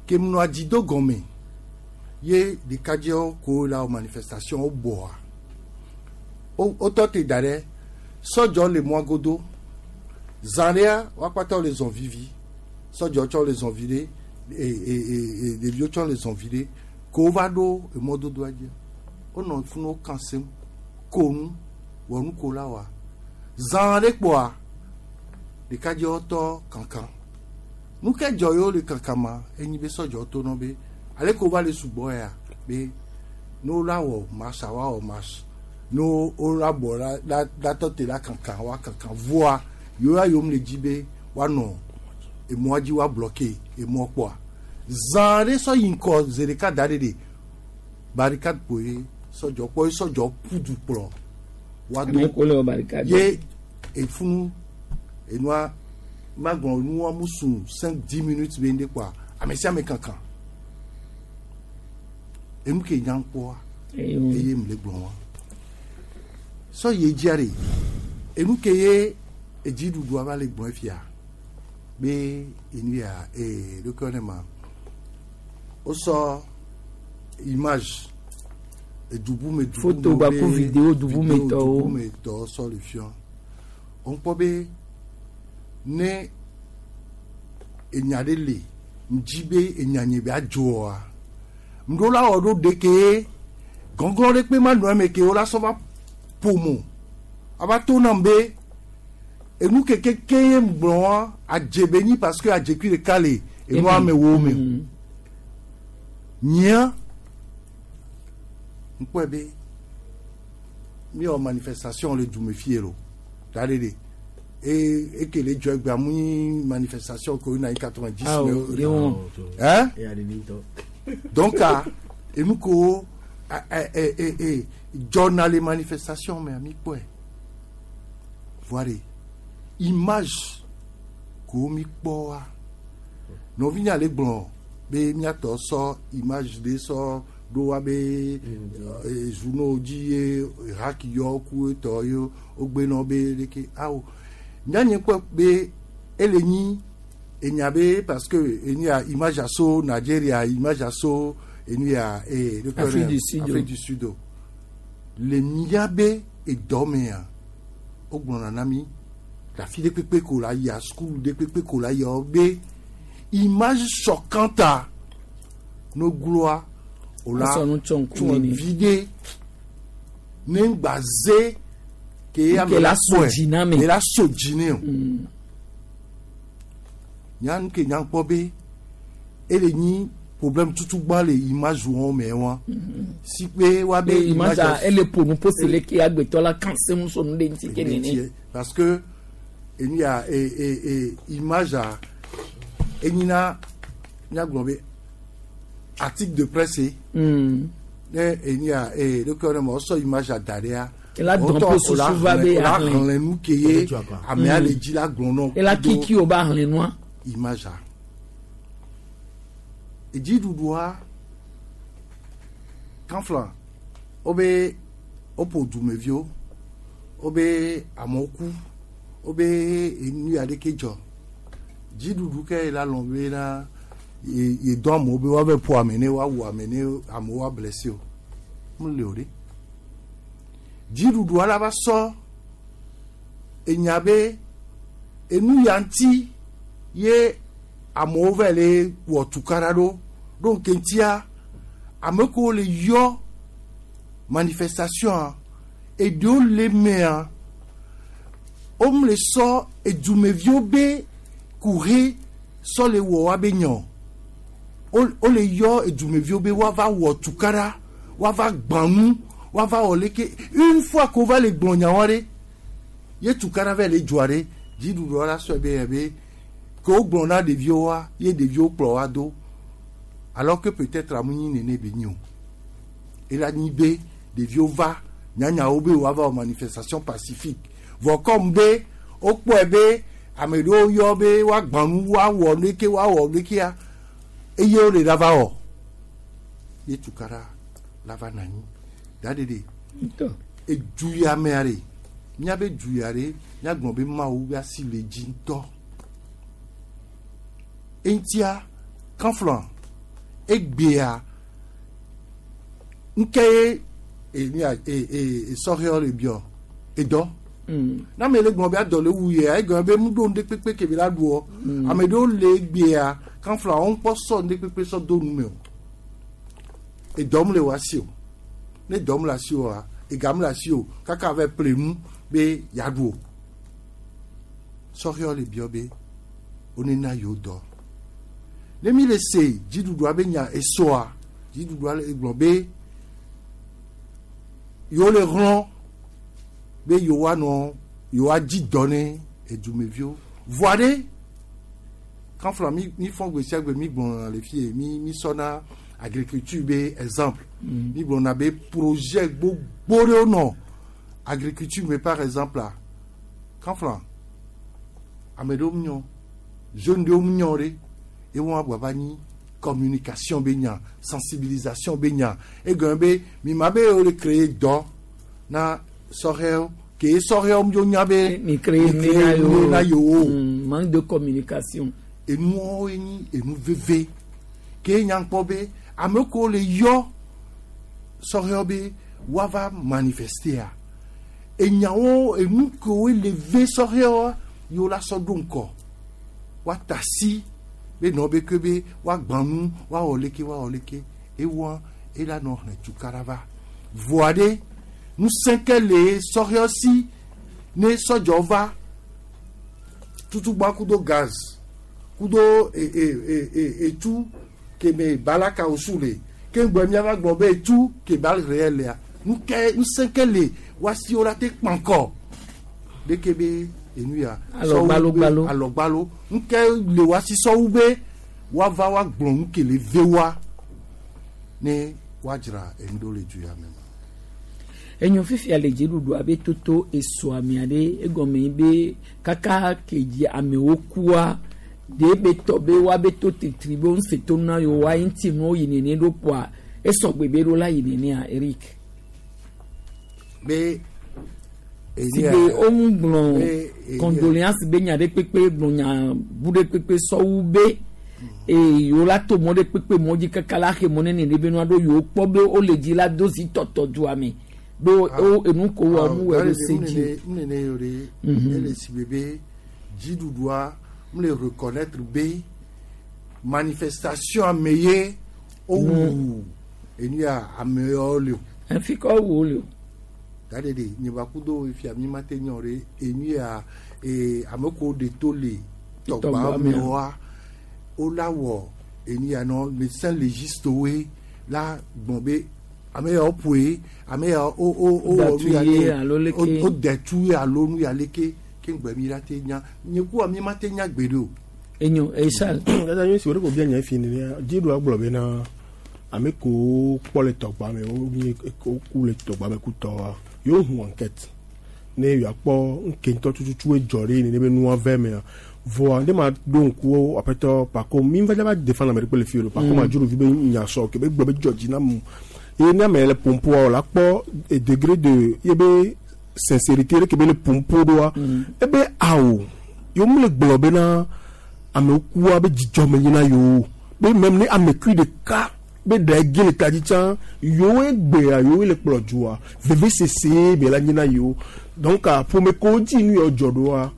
Speaker 16: ke munɔ dzi do gɔme ye ɖekadzewo ko la manifestation wo bɔa wotɔ te da ɖe sɔdzɔ le mɔa godo zã ɖea woakpata le zɔn vivi sɔdzɔ tsɔ le zɔn vi ɖe e ɖeviwo tsɔ le zɔn vi ɖe ko wova ɖo emɔdodoa dzi wonɔ funu wo kan sem ko nu wɔ nu ko la wa zã ɖe kpɔa ɖekadzewo tɔ kankan nu ke dzɔ yewo le kankan ma enyi be sɔdzɔ to nɔ be ale ko va le sugbɔ ya be ne wo la wɔ marche wa wɔ marche ne wo la bɔ la la la tɔ te la kankan wa kankan voa yewo ya yom le dzi be woanɔ emɔa dzi wa bloquer emɔ kpɔa zã ɖe sɔ yi ŋkɔ zi ɖeka da ɖe ɖe barricade kpoe sɔdzɔ kpɔ ye sɔdzɔ ƒu du kplɔ wa
Speaker 1: Ame ko le wɔ barricade.
Speaker 16: Ye efunu enua magblɔ nua mu sun 5-10 minutes be ŋɖe kpɔa ame sia ame kankan enu ke nya kpɔa eye mu le gblɔ wa sɔ ye dzia ɖe enu ke ye edziɖuɖua va le gblɔ fia be enu ya ee ɖokɔ ne ma wosɔ image edubu me dubu
Speaker 1: Photo gbaku vidéo dubu me tɔwo.
Speaker 16: Dubu me tɔwo sɔ le fiɔ wokpɔ be ne enya ɖe le ŋdzi be enya nye be adzɔa ŋɖo la wɔ ɖo ɖeke gɔngɔn ɖe kpe ma nɔ eme ke wola sɔ va ƒomo ava to nam be enu keke ke ye gblɔ wa adze be nyi parce que adzekui ɖeka le enua me wo me nyia ŋkpɔe be mi wɔ manifestation le dume fie lo da ɖe ɖe e eke le dzɔ egbea mu nyi manifestation ko na yi 90
Speaker 1: Ah,
Speaker 16: me
Speaker 1: o, de
Speaker 16: hein donc ah enu ko e e e dzɔna le manifestation me mi kpɔe voa de image ko mi kpɔ wa nɔvinya le gblɔ be miatɔ sɔ image ɖe sɔ ɖo wa be journaux dzi ye haki yɔ ku etɔ ye wogbenɔ be ɖeke awo nyanye kpɔ be ele nyi enya be parce que enya image aso Nigeria image aso enu ya ee
Speaker 1: Afrique du Sud.
Speaker 16: Afrique du Sud o le mia be edɔ mea wogblɔna na mi le afi ɖe kpekpe ko la yia sukulu ɖe kpekpe ko la yia wo be image choquante no gloa o la
Speaker 1: Asɔ nu tsɔ ŋku
Speaker 16: tsɔ
Speaker 1: nini.
Speaker 16: vi ɖe ne ŋgba ze ke
Speaker 1: Ke la so
Speaker 16: kpɔe,
Speaker 1: dzi na ame.
Speaker 16: ke la so dzi ne o nya nu ke nya kpɔ be ele nyi problème tutu gbã le image wɔn me wa si pe wa be
Speaker 1: Be image a ele ƒo nu pose le ke agbetɔ la kan se mu so nu ɖe ŋuti ke nene.
Speaker 16: Parce que Enu ya e e e image a enyina míagblɔ be article de presse. Ne enu ya e ɖeke ne ma wosɔ image a da ɖea.
Speaker 1: Ela dɔn po susu va be
Speaker 16: la
Speaker 1: ahlẽ.
Speaker 16: xlẽ nu ke ye amea le dzi la gblɔ nɔ.
Speaker 1: Ela kiki o ba hlẽ nua.
Speaker 16: Image a. Edziɖuɖua kanfla wobe woƒo dumeviwo wobe amewo ku wobe enu ya ɖeke dzɔ dziɖuɖu ke la lɔn be na ye ye dɔn amewo be woave ƒo ame ne woawu ame ne amewo woa blessé o mele o ɖe dziɖuɖua la va sɔ enya be enu ya ŋuti ye amewo va le wɔ tukaɖa ɖo ɖo ŋke ŋutia ame kewo le yɔ manifestation eɖewo le mea womle sɔ edumeviwo be kuhe sɔ le wɔ woabe nya o wole yɔ edumeviwo be woava wɔ tukaɖa woava gbã nu woava wɔ leke une fois ko va le gblɔ nyawo ɖe ye tukaɖa va le dzɔa ɖe dziɖuɖua la sɔe be yɛ be ke wogblɔ na ɖeviwoa ye ɖeviwo kplɔ wa do alors que peut-être amu nyi nene be nyi o ela nyi be ɖeviwo va nyanyawo be woava wɔ manifestation pacifique vɔ comme be wokpɔe be ame ɖewo yɔ be woagbã nu woawɔ leke woawɔ lekea eye wole la va wɔ ye tukaɖa la va na anyi da ɖeɖe edu ya mea ɖe míabe du ya ɖe míagblɔ be mawu be asi le dzi ŋutɔ eŋutia kanflɔ egbea ŋke ye enu e e esɔhɛwo le biɔ edɔ na ame le gblɔ be adɔ le wu yea egblɔ be mu ɖo ŋɖe kpekpe ke be la ɖuɔ ame ɖewo le egbea kanflɔ wo ŋkpɔ sɔ ŋɖe kpekpe sɔ do nu me o edɔ mu le wɔ asi o ne dɔ mu le asi oa ega mu le asi o kaka va ƒle nu be yeaɖu o sɔhɛwo le biɔ be wonena yewo dɔ ne mi le se dziɖuɖua be nya esɔa dziɖuɖua le gblɔ be yewo le hlɔ̃ be yewoanɔ yewoadzi dɔ ne edumeviwo vɔa ɖe kanfla mi mi fɔ gbe sia gbe mi gblɔna le fie mi mi sɔna agriculture be exemple mi gblɔna be projet gbogbo ɖewo nɔ agriculture me par exemple la kanfla ame ɖewo nyɔ jeune ɖewo nyɔ ɖe ye wɔn agba va nyi communication be nya sensibilisation be nya egɔme be mi ma be wo le créer dɔ na sɔhɛwo ke sɔhɛwo dzo nya be
Speaker 1: mi créer ne
Speaker 16: na yewo
Speaker 1: manque de communication
Speaker 16: enuwo nyi enu veve ke nya kpɔ be ame kewo le yɔ sɔhɛwo be woava manifester enyawo enu kewo le ve sɔhɛwoa yewo la sɔ ɖo ŋkɔ woata si be nɔ be ke be woagbã nu woawɔ leke woawɔ leke ewɔ ela nɔ hlẽ tukaɖa va voa ɖe ŋusẽ ke le sɔhɛwo si ne sɔdzɔ va tutugba kudo gaz kudo e e e e etu keme balaka osu le ke ŋgbɛ miava gblɔ be etu ke bal réel lea nuke ŋusẽ ke le woasi wo la te kpankɔ ɖeke be enu ya
Speaker 1: Alɔgbalogbalo.
Speaker 16: Alɔgbalo nuke le woasi sɔwu be woava woagblɔ nu ke le ve wa ne woadzra enu ɖo le du ya me.
Speaker 1: Enyo fifia le dziɖuɖu abe toto esɔ amea ɖe egɔme yi be kaka ke dzi amewo kua ɖe be tɔ be woabe to tetri be wonse to na yewo wa ŋuti nuwo yi nene ɖo kpoa esɔgbe be ɖo la yi nenea Eric.
Speaker 16: Be
Speaker 1: si be woŋu gblɔ condoléance be nya ɖe kpekpe gblɔ nya bu ɖe kpekpe sɔwu be eye yewo la to mɔ ɖe kpekpe mɔ dzi kaka la xe mɔ nene ɖe be nua ɖo yewo kpɔ be wole dzi la do zi tɔtɔ dua me ɖo wo enu ko wɔ mu wɔ ɖo se dzi.
Speaker 16: Nene yo ɖe ele si be be dziɖuɖua mu le reconnaître be manifestation ame ye wowu enu ya amewo le o.
Speaker 1: Fi ka wowu wo le o.
Speaker 16: Da ɖe ɖe nye ba kudo fia mi ma te nyɔ ɖe enu ya ee ame kewo ɖe to le tɔgba mewoa wola wɔ enu ya nɔ médecin légiste woe la gbɔn be ame ya woƒoe ame ya wo wo wo wɔ nu ya
Speaker 1: Datu ye alo leke.
Speaker 16: Wo dɛtu ye alo nu ya leke. Ke ŋgbɛ mi la te nya nye kua mi ma te nya gbe ɖe o.
Speaker 1: Enyo esal.
Speaker 2: Dada nyuie si wo ɖe ko bia nya fi nenea dziɖua gblɔ bena ame kewo kpɔ le tɔgba me wo nye woku le tɔgba me kutɔa yewo hu enquête ne yewoakpɔ ŋke ŋutɔ tututu edzɔ ɖe nene be nua vɛ mea vɔa ne ma ɖo ŋku aƒetɔ Pako mi va va défendre ame ɖe kpe le fi o Pako ma dzro vi be nya sɔ ke be gblɔ be dzɔ dzi na mu ye ne ame le pompoa o la kpɔ degré de ye be sincérité ɖe ke be le pompo ɖoa ebe awo yewo mu le gblɔ bena amewo kua be dzidzɔ me nyina yewo be même ne ame kui ɖeka be ɖe ge le ta dzi tsã yewoe gbea yewoe le kplɔ dzoa vevesese be la nyina yewo donc ƒome kewo dzi nu yawo dzɔ ɖoa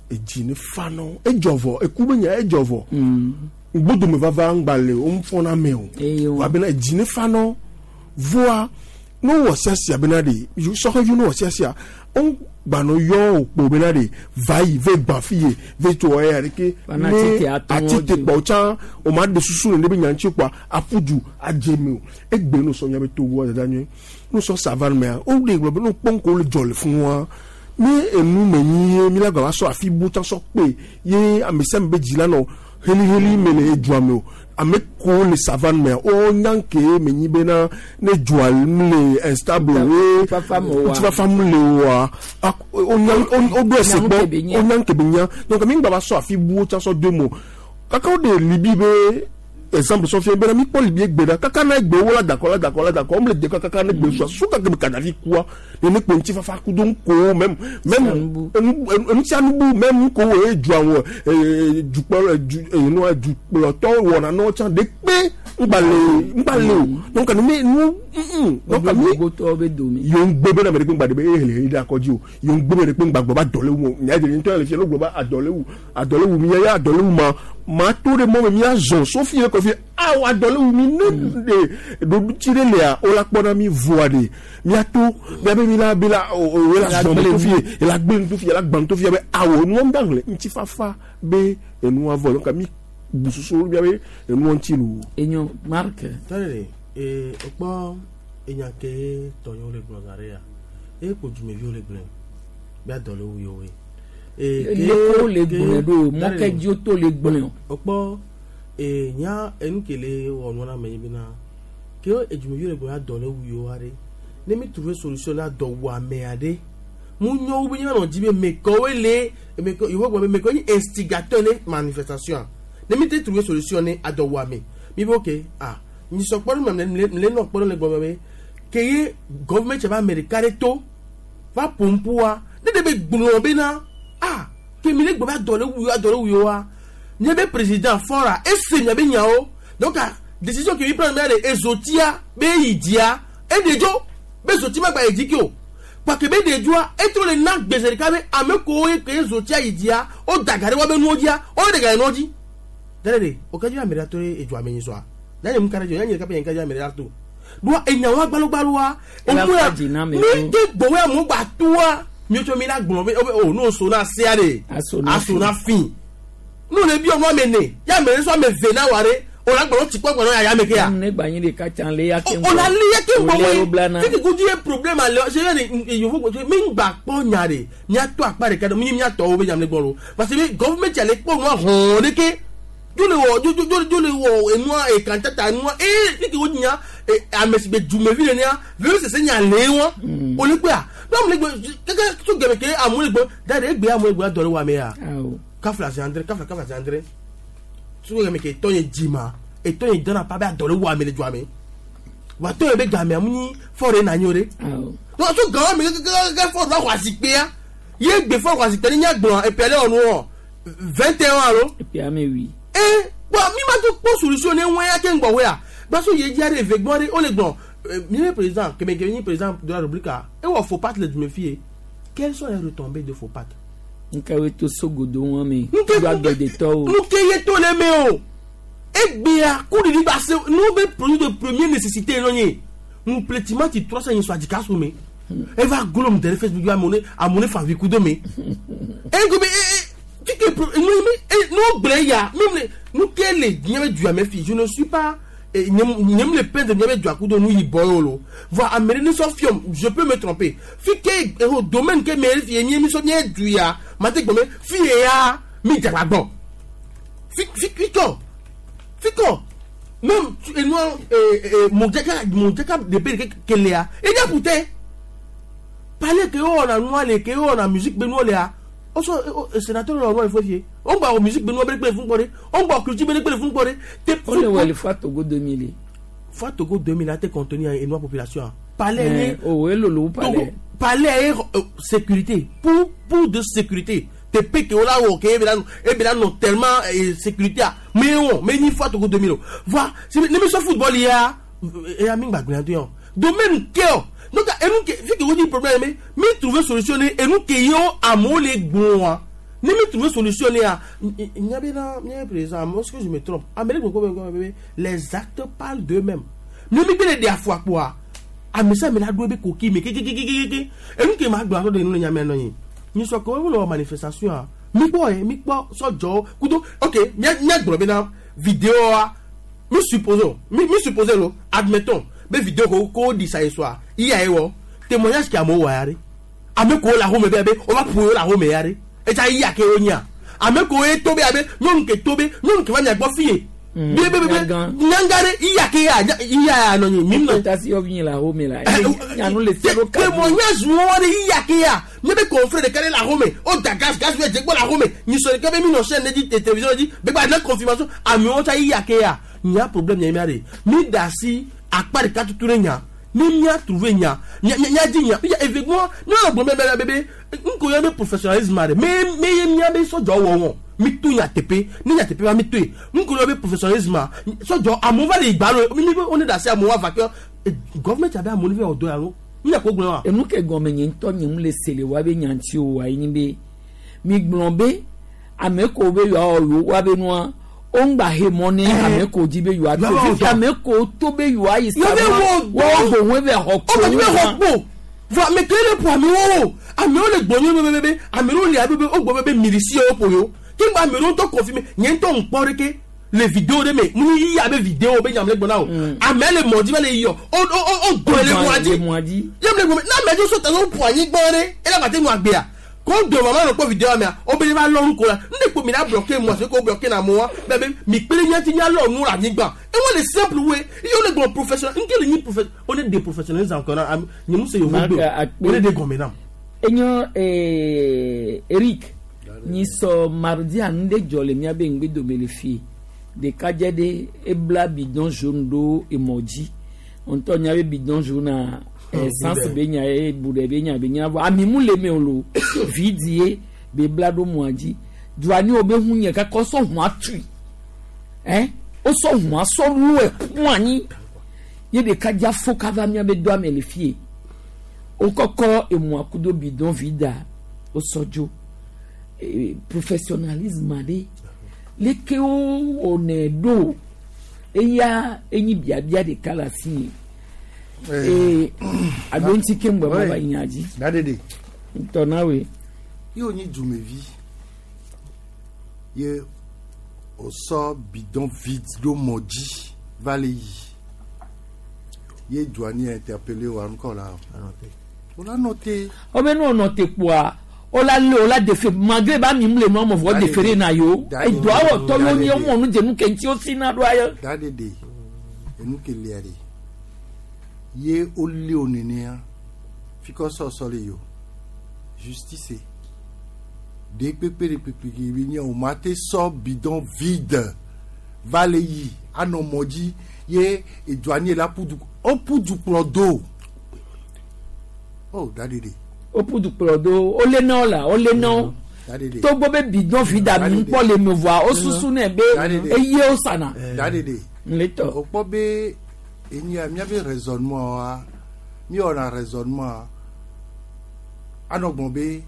Speaker 2: edzi ne fa nɔ edzɔ vɔ eku be nya edzɔ vɔ ŋgbodome vava ŋgba le wo ŋfɔna me o wa bena edzi ne fa nɔ voa ne wowɔ siasia bena ɖe sɔhɛvi ne wɔ siasia wo gbanɔ yɔ wò kpo bena ɖe va yi ve gbã fi ye ve tso eya ɖeke ne atite kpɔ tsã o ma ɖe susu le ne be nya ŋuti kpoa aƒu du adze me o egbe no sɔ nya be togoa dada nyuie no sɔ savane mea wo ɖe gblɔ be no kpɔ ŋko le dzɔ le fún wa ne enu me nyi ye mi la gba va sɔ afi bu tsã sɔ kpe ye ame sia ame be dzi la nɔ heliheli me le edua me o ame kewo le savane mea wo nya ke me nyi bena ne dua le instable ye ŋutifafa mu le oa woɖo ese gbɔ wonya nke be nya donc mi ŋgba va sɔ afi bu tsã sɔ do mo kaka wo ɖe libi be exemple sɔ fia bena mi kpɔ libi egbe ɖa kaka na egbe wo la dakɔ la dakɔ la dakɔ wo le de kaka na egbe sua su kaka be Kadafi kua nene kpo ŋutifafa kudo ŋkowo même même enusianu bu même ŋkowo ye dua wɔ dukplɔ du enua dukplɔtɔ wɔna nɔ tsã de kpe ŋgba le ŋgba le o donc ne nu donc mi yewo ŋgbe bena ame ɖe kpe ŋgba ɖe be ehele heli ɖe akɔdzi o yewo ŋgbe be ɖe kpe ŋgba gblɔ be adɔlewu nya ɖe ŋutɔ le fia ne gblɔ be adɔlewu adɔlewu mi ya adɔlewu ma ma to ɖe mɔ me mia zɔn sofi le kɔfi awo adɔlewu mi ne ɖe ɖoɖutsi ɖe lea wo la kpɔ na mi voa ɖe miato miabe mi la be la o la zɔn to fi ye la gbe nu to fi ye la gbã nu to fi ye be awo nua ŋda hlẽ ŋutifafa be enua vɔ donc mi bu susu miabe enua ŋuti lo.
Speaker 1: Enyo Marc.
Speaker 19: Tɔle ee ekpɔ enya ke tɔnyewo le gblɔ zã ɖe ya eye kpo dumeviwo le gblɔe be adɔ le wu yewoe.
Speaker 1: Leko le gblɔe ɖo mɔke dzi to le gblɔe o.
Speaker 19: Ekpɔ ee nya enu ke le wɔ nua na ame yi bena ke edumeviwo le gblɔ adɔ le wu yewo aɖe ne mi trouver solution na dɔ wu ame aɖe mu nyɔwo be nyanɔ dzi be mekɔwoe le mekɔ yewo gblɔ be mekɔ nyi instigateur ne manifestation ne mi te trouver solution ne adɔ wu ame mi be ok ah nyisɔ kpɔ ɖe me le nɔ kpɔ ɖe le gbɔ be ke ye gɔvɛmɛnt tse va ame ɖeka ɖe to va pompoa ne ɖe be gblɔ bena ah ke mi le gbɔ be adɔ le wu adɔ le wu yewoa nye be président fɔra ese mia be nyawo donc décision ke mi prend mia le ezotia be yi dzia eɖe dzo be zoti ma gba yi dzi ke o kpake be ɖe dzoa etro le na gbèsè ɖeka be ame kewo ye ke zotia yi dzia wo da ga ɖe woabe nuwo dzia wo ɖe ga ɖe nuwo dzi dale ɖe o ke dzi ame ɖe to ɖe edzoa me nyi sɔa yanyi mu ka ɖe dzo yanyi ɖeka pe yanyi ka dzi ame ɖe to ɖoa enyawo agbalogbalua omuya mi ke gbɔwɔ amewo gba toa mietsɔ mi la gblɔ be o n'o so na sea ɖe aso na fi n'o le bi ɔnu ame ne ya ame ɖe sɔ ame ve na wa ɖe o la gblɔ tsi kpɔ gblɔ ya ya me ke ya.
Speaker 1: Ne gba nyi ɖeka tsã le ya ke
Speaker 19: ŋgbɔ. O la le ya ke ŋgbɔ wo titi ko di ye problème ale se ye ni yovo gbɔ mi ŋgba kpɔ nya ɖe miatɔ akpa ɖeka ɖe mi miatɔwo be nyam le gbɔ lo parce que gɔvɛmɛnti ale kpɔ nua hɔn ɖe ke dzo le wɔ dzo dzo dzo le wɔ enua ekantata enua ee titi wo nya ame si be dumevi le nia veve sese nya le wɔn o le gbea n'amu le gbɔ keke tso gɛmɛ ke amu le gbɔ da de egbe amu le gbɔ adɔ le wɔ ame ya kafla zi andre kafla kafla zi andre tso gɛmɛ ke tɔ nye dzima etɔ nye dɔnna pa be adɔ le wɔ ame le dua me wa tɔ ye be game amu nyi fɔ ɖe nanyi o ɖe donc tso gama me kekekeke fɔ ɖe va xɔ azikpea ye gbe fɔ xɔ azikpea ne nya gblɔ epia le wɔ nu wɔ 21 alo.
Speaker 1: Epia me wi.
Speaker 19: Ee kpɔ mi ma to kpɔ solution ne ŋue ya ke ŋgbɔ wea gbaso ye dzi aɖe eve gbɔ ɖe wole gblɔ mi be président keme keme nyi président de la république a ewɔ faux pas le dume fi ye quelles sont les retombées de faux pas.
Speaker 1: Nke to sogodo wọn mi. Nke agbedetɔwo.
Speaker 19: Nke ye to le me o egbea kuɖiɖi gba se nu be produit de première nécessité nɔ nye ŋupletima ti 300 nyi sɔ adzika so me eva glom de Facebook yi amone amone favi kudo me ego be ee tike nu mi nu gblẽ ya mi nu ke le diɲɛ bɛ duya mɛ fi je ne suis pas Nyem le peindre miabe dua kudo nu yibɔ ye o lo. Voa ame ɖe ne sɔ fiɔm, je peux me tromper. Fi ke eho domaine ke me fi ye mi sɔ mía du ya, mate gblɔ be fi ye ya mi dze agbagba. Fi fi fi kɔ. Fi kɔ. Même enua modzaka modzaka ɖe pe ke lea, edza ƒute. Palais ke wowɔna nua le ke wowɔna musique be nuwo lea, wosɔ sénateur le wɔ nua le fue fie. Wogba wɔ musique be nuwo be kpe le funu kpɔ ɖe. Wogba wɔ culture be kpe le funu kpɔ ɖe. Te
Speaker 1: Wole wɔ le Fua Togo 2000.
Speaker 19: Fua Togo 2000 ate contenir enua population. Palais ye.
Speaker 1: Oh, elolo wu palais.
Speaker 19: Palais ye sécurité pour de sécurité. Te pe ke wola wɔ ke ebela nɔ tellement sécurité a me wɔ me nyi Fua Togo 2000 o. Voa si ne mi sɔ football ya eya mi gba gblẽ do yɔ. Domaine ke o. Donc enu ke fi ke wo di problème me mi trouver solution ne enu ke yo amewo le gbɔa. Ne mi trouver solution ne ya nya be na nya président, est-ce que je me trompe? Ame ɖe gbɔ be les actes parlent d'eux-mêmes. Ne mi gbe le ɖe afɔ akpoa, ame sia ame la ɖo ebe koki me kekekekeke. Enu ke ma gblɔ aɖo ɖe nu le nya me nɔ nyi. Nyi sɔ ke wo le wɔ manifestation a, mi kpɔ ye, mi kpɔ sɔdzɔwo kudo ok mia mia gblɔ bena vidéo mi supposons mi supposons lo admettons be vidéo ko ko di sa ye soa iya ye wɔ témoignage ke amewo wɔ ya ɖe ame ko le ahome be abe wova ƒo yewo le ahome ya ɖe etsa iya ke wo nyia ame ko ye to be abe nyɔnu ke to be nyɔnu ke va mia gbɔ fi ye be be be nyanga ɖe iya ke ya iya ya nɔ nyi mi nɔ
Speaker 1: tasi yɔ vi le ahome la nyanu le se ɖo ka
Speaker 19: témoignage wo ɖe iya ke ya nye be confrère ɖeka ɖe le ahome o da gaz gaz be dze gbɔ le ahome nyisɔ ɖeka be mi nɔ chaîne ɖe dzi télévision ɖe dzi be gba ne confirmation amewo tsa iya ke ya nya problème nya mia ɖe mi da asi akpa ɖeka tutu ɖe nya ne mia trouver nya nya nya di nya ya effectivement mia le gblɔ be be be nko ya be professionnalisme ɖe me me ye mia be sɔdzɔ wɔ wɔn mi to nya teƒe ne nya teƒe va mi to ye nko ya be professionnalisme sɔdzɔ amewo va le igba lo mi mi be wo ne da asi amewo ava ke government abe amewo ne fi wɔ dɔ ya lo mi nya ko gblɔ wa.
Speaker 1: Enu ke gɔme nye ŋutɔ nye mu le se le wa be nya ŋuti o wa ye be mi gblɔ be ame ko be yewoawɔ yewo wa be nua wo ŋgba he mɔ ne ame ko dzi be yewoato fifi ame ko to be yewoayi sa wɔwɔ boŋ ebe xɔ kpo
Speaker 19: wo xɔ kpo vɔ ame ke le ƒo amewo amewo le gbɔ nye be be amewo le abe be wo gbɔ be be milisi wo ƒo yewo ke ŋgba amewo ŋutɔ confirmer nye ŋutɔ ŋkpɔ ɖeke le vidéo ɖe me mu yi abe vidéo be nyam le gbɔ na o ame le mɔ dzi va le yiyɔ o o o do le mɔa dzi yam le gbɔ na ame dzi so ta so ƒo anyigba ɖe ela gba te nu agbea ko do mama nɔ kpɔ vidéo mea o be va lɔ nu ko la ne kpo mi la bloquer moi c'est ko bloquer na moi be be mi kpe ɖe nyati nya lɔ nu le anyigba e wo le simple we ye wo le gbɔ professionnel nke le nyi professionnel o ne de professionnel encore na nye mu se yovo gbe o ne de gɔme nam.
Speaker 1: Enyo Eric nyi sɔ mardi anu ɖe dzɔ le miabe ŋgbedome le fie ɖekadze ɖe ebla bidon jaune ɖo emɔ dzi ŋutɔ nya be bidon jaune a essence be nya ye bu ɖe be nya be nya vɔ ami mu le me o lo vidi ye be bla ɖo mɔa dzi duani wo be hu nye kaka wosɔ hua tui wosɔ hua sɔ lu eku anyi ye ɖekadze afɔ kava miabe doa me le fie wokɔkɔ emɔa kudo bidon vida wosɔ dzo professionnalisme aɖe leke wowɔnɛ ɖo eya enyi biabia ɖeka le asi nye alo ŋuti ke ŋgbɛ ma va yi nya dzi.
Speaker 16: Dadede.
Speaker 1: Ŋutɔ na woe.
Speaker 16: Ye wònyi dumevi ye wòsɔ bidon vide ɖo mɔ dzi va le yi ye douanier interpellé wa ŋkɔ la o la nɔ te.
Speaker 1: Wobe ne wònɔ te kpoa wola lé wola defe malgré ba mi mu le nua me vɔ defere na yewo edoa wɔ tɔ yewo nye womɔ nu dze nu ke ŋuti wosi na ɖoa ye.
Speaker 16: Dadede enu ke lia de ye wolé wo nenea fi ke sɔsɔ le yi o justice de kpekpe de kpekpe ke bi nye o ma te sɔ bidon vide va le yi anɔ mɔ dzi ye douanier la ƒu du o ƒu du kplɔ do o dadede.
Speaker 1: Woƒu du kplɔ do wole na wo la wole na wo togbɔ be bidon vide ami ŋkpɔ le me vɔa wosusu nɛ be eye wosana.
Speaker 16: Dadede.
Speaker 1: Ŋletɔ.
Speaker 16: O kpɔ be enyia miabe raisonnement wa mi wɔna raisonnement anɔ gbɔn be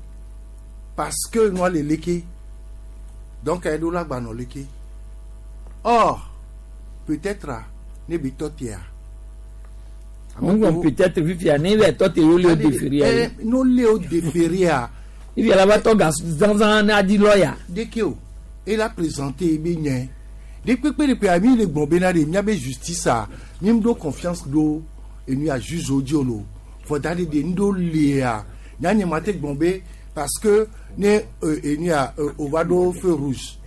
Speaker 16: parce que nua le leke donc eɖo la gba nɔ leke or peut-être ne bi tɔ tea.
Speaker 1: Ŋgɔ peut-être fifia ne bɛ tɔ te wole o déférer ya.
Speaker 16: N'o le o déférer ya.
Speaker 1: Fifia la va tɔ ga zanzan ne adi lɔya.
Speaker 16: Deke o e la présenté ebe nye De kpekpe de kpea mi le gblɔ bena de miabe justice a mi ɖo confiance ɖo enu ya juge wo dzi o lo. Vɔ da ɖe de ŋɖo lia nya nye ma te gblɔ be parce que ne enu ya o va ɖo feu rouge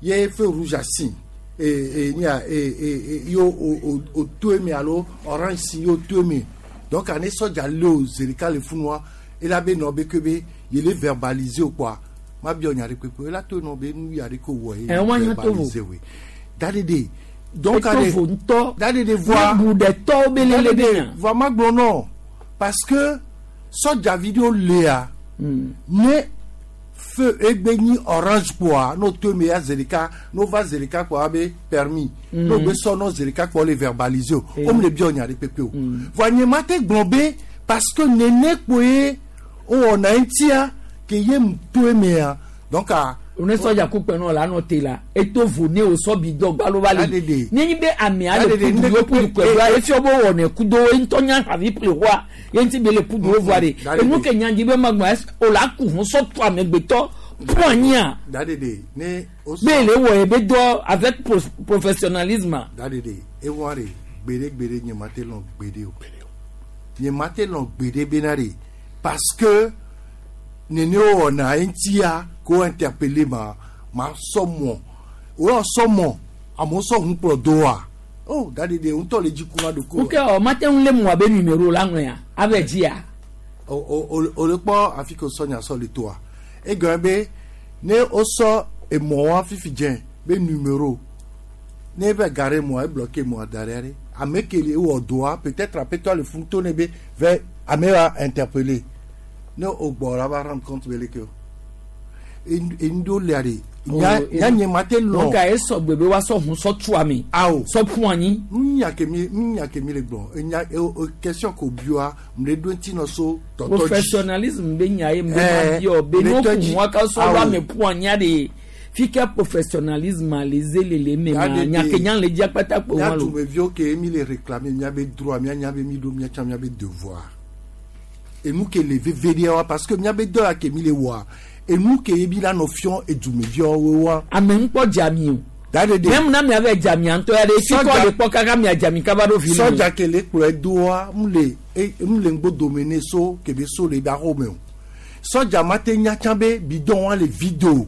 Speaker 16: ye feu rouge asi e enu ya e e yo o o to eme alo orange si yo to eme donc ane sɔdza le o zi ɖeka le funua ela be nɔ be ke be yele verbaliser o kpoa ma biɔ nya ɖe kpekpe ela to nɔ be nu ya ɖe ko wɔ ye
Speaker 1: Eh, wa nya to vo.
Speaker 16: verbaliser we da ɖe de donc
Speaker 1: Eto vo ŋutɔ.
Speaker 16: da ɖe de voa
Speaker 1: Ne bu ɖe tɔwo be lele be nya.
Speaker 16: voa ma gblɔ nɔ parce que sɔdzavi ɖewo lea ne feu egbe nyi orange kpoa n'o to eme ya zi ɖeka n'o va zi ɖeka kpoa be permis n'o gbe sɔ n'o zi ɖeka kpoa le verbaliser o
Speaker 1: Eh.
Speaker 16: o mu le biɔ nya ɖe kpekpe o voa nye ma te gblɔ be parce que nene kpoe wowɔna eŋutia ke ye mu to emea donc a.
Speaker 1: ne sɔdza ku kpɛ nɔ la nɔ te la eto vo ne o sɔ bi dɔ gbalo va le ne nyi be amea le
Speaker 16: Dadede,
Speaker 1: kudu
Speaker 16: ne
Speaker 1: wo kudu kpɛ doa efiɔ be wɔnɛ kudo wo ŋutɔ nya havi ple wa ye ŋuti be le kudu wo voa de
Speaker 16: Dadede.
Speaker 1: enu ke nya dzi be ma gbɔ ɛs o la ku hun sɔ tu amegbetɔ ƒu anyia
Speaker 16: Dadede, ne o sɔ.
Speaker 1: be le wɔ ye be dɔ avec professionnalisme.
Speaker 16: Dadede, ewa de gbeɖe gbeɖe nye ma te lɔn gbeɖe o nye ma te lɔn gbeɖe bena de parce que nene wo wɔna eŋutia ko interpellé ma ma sɔ mɔ o yɔ sɔ mɔ amewo sɔ ŋu kplɔ do wa o dadede ŋutɔ le dzi kuna ɖoko.
Speaker 1: Ok ɔ mate ŋu le mɔ be numéro la ŋlɔa abe dzia.
Speaker 16: o o o le kpɔ afi ke wosɔ nya sɔ le toa egɔme be ne wosɔ emɔ wa fifi dze be numéro ne va gare mɔa ebloqué mɔa da ɖe aɖe ame ke le ewɔ dɔa peut-être aƒetɔ le funu to ne be vɛ ame wa interpellé ne o gbɔ la va rendre compte be leke o enu ɖewo lia ɖe nya nya nye ma te lɔn.
Speaker 1: Donc esɔ gbe be woasɔ hun sɔ tu ame.
Speaker 16: Awo
Speaker 1: sɔ ƒu anyi.
Speaker 16: nya ke mi nya ke mi le gblɔ enya o o question ko bioa mu le ɖo ŋuti nɔ so tɔtɔ dzi.
Speaker 1: Professionnalisme be nya ye me ma
Speaker 16: Eh,
Speaker 1: biɔ be
Speaker 16: le
Speaker 1: no
Speaker 16: tɔ
Speaker 1: kun
Speaker 16: dzi.
Speaker 1: wa ka sɔ
Speaker 16: Awo.
Speaker 1: do ame ƒu anyia de fi ke professionnalisme le ze le le me ma
Speaker 16: Dadede.
Speaker 1: nya ke nya le dzia kpata kpo
Speaker 16: mía
Speaker 1: wa lo.
Speaker 16: dumeviwo ke mi le réclamer míabe droit míanya be mi ɖo míatsã míabe devoir enu ke le veve ɖe wa parce que míabe dɔ ya ke mi le wɔa enu ke ye mi la nɔ fiɔ edumeviawo wa.
Speaker 1: Ame ŋkpɔ dzami o.
Speaker 16: Dadede.
Speaker 1: Même na mia be dzamia ŋutɔ ya ɖe fi kɔ le kpɔ kaka mia dzami kaba ɖo fi.
Speaker 16: Sɔdza ke le kplɔe doa mu le mu le ŋgbodome ne so ke be so le ba xɔme o sɔdza ma te nya tsã be bidon wa le vide o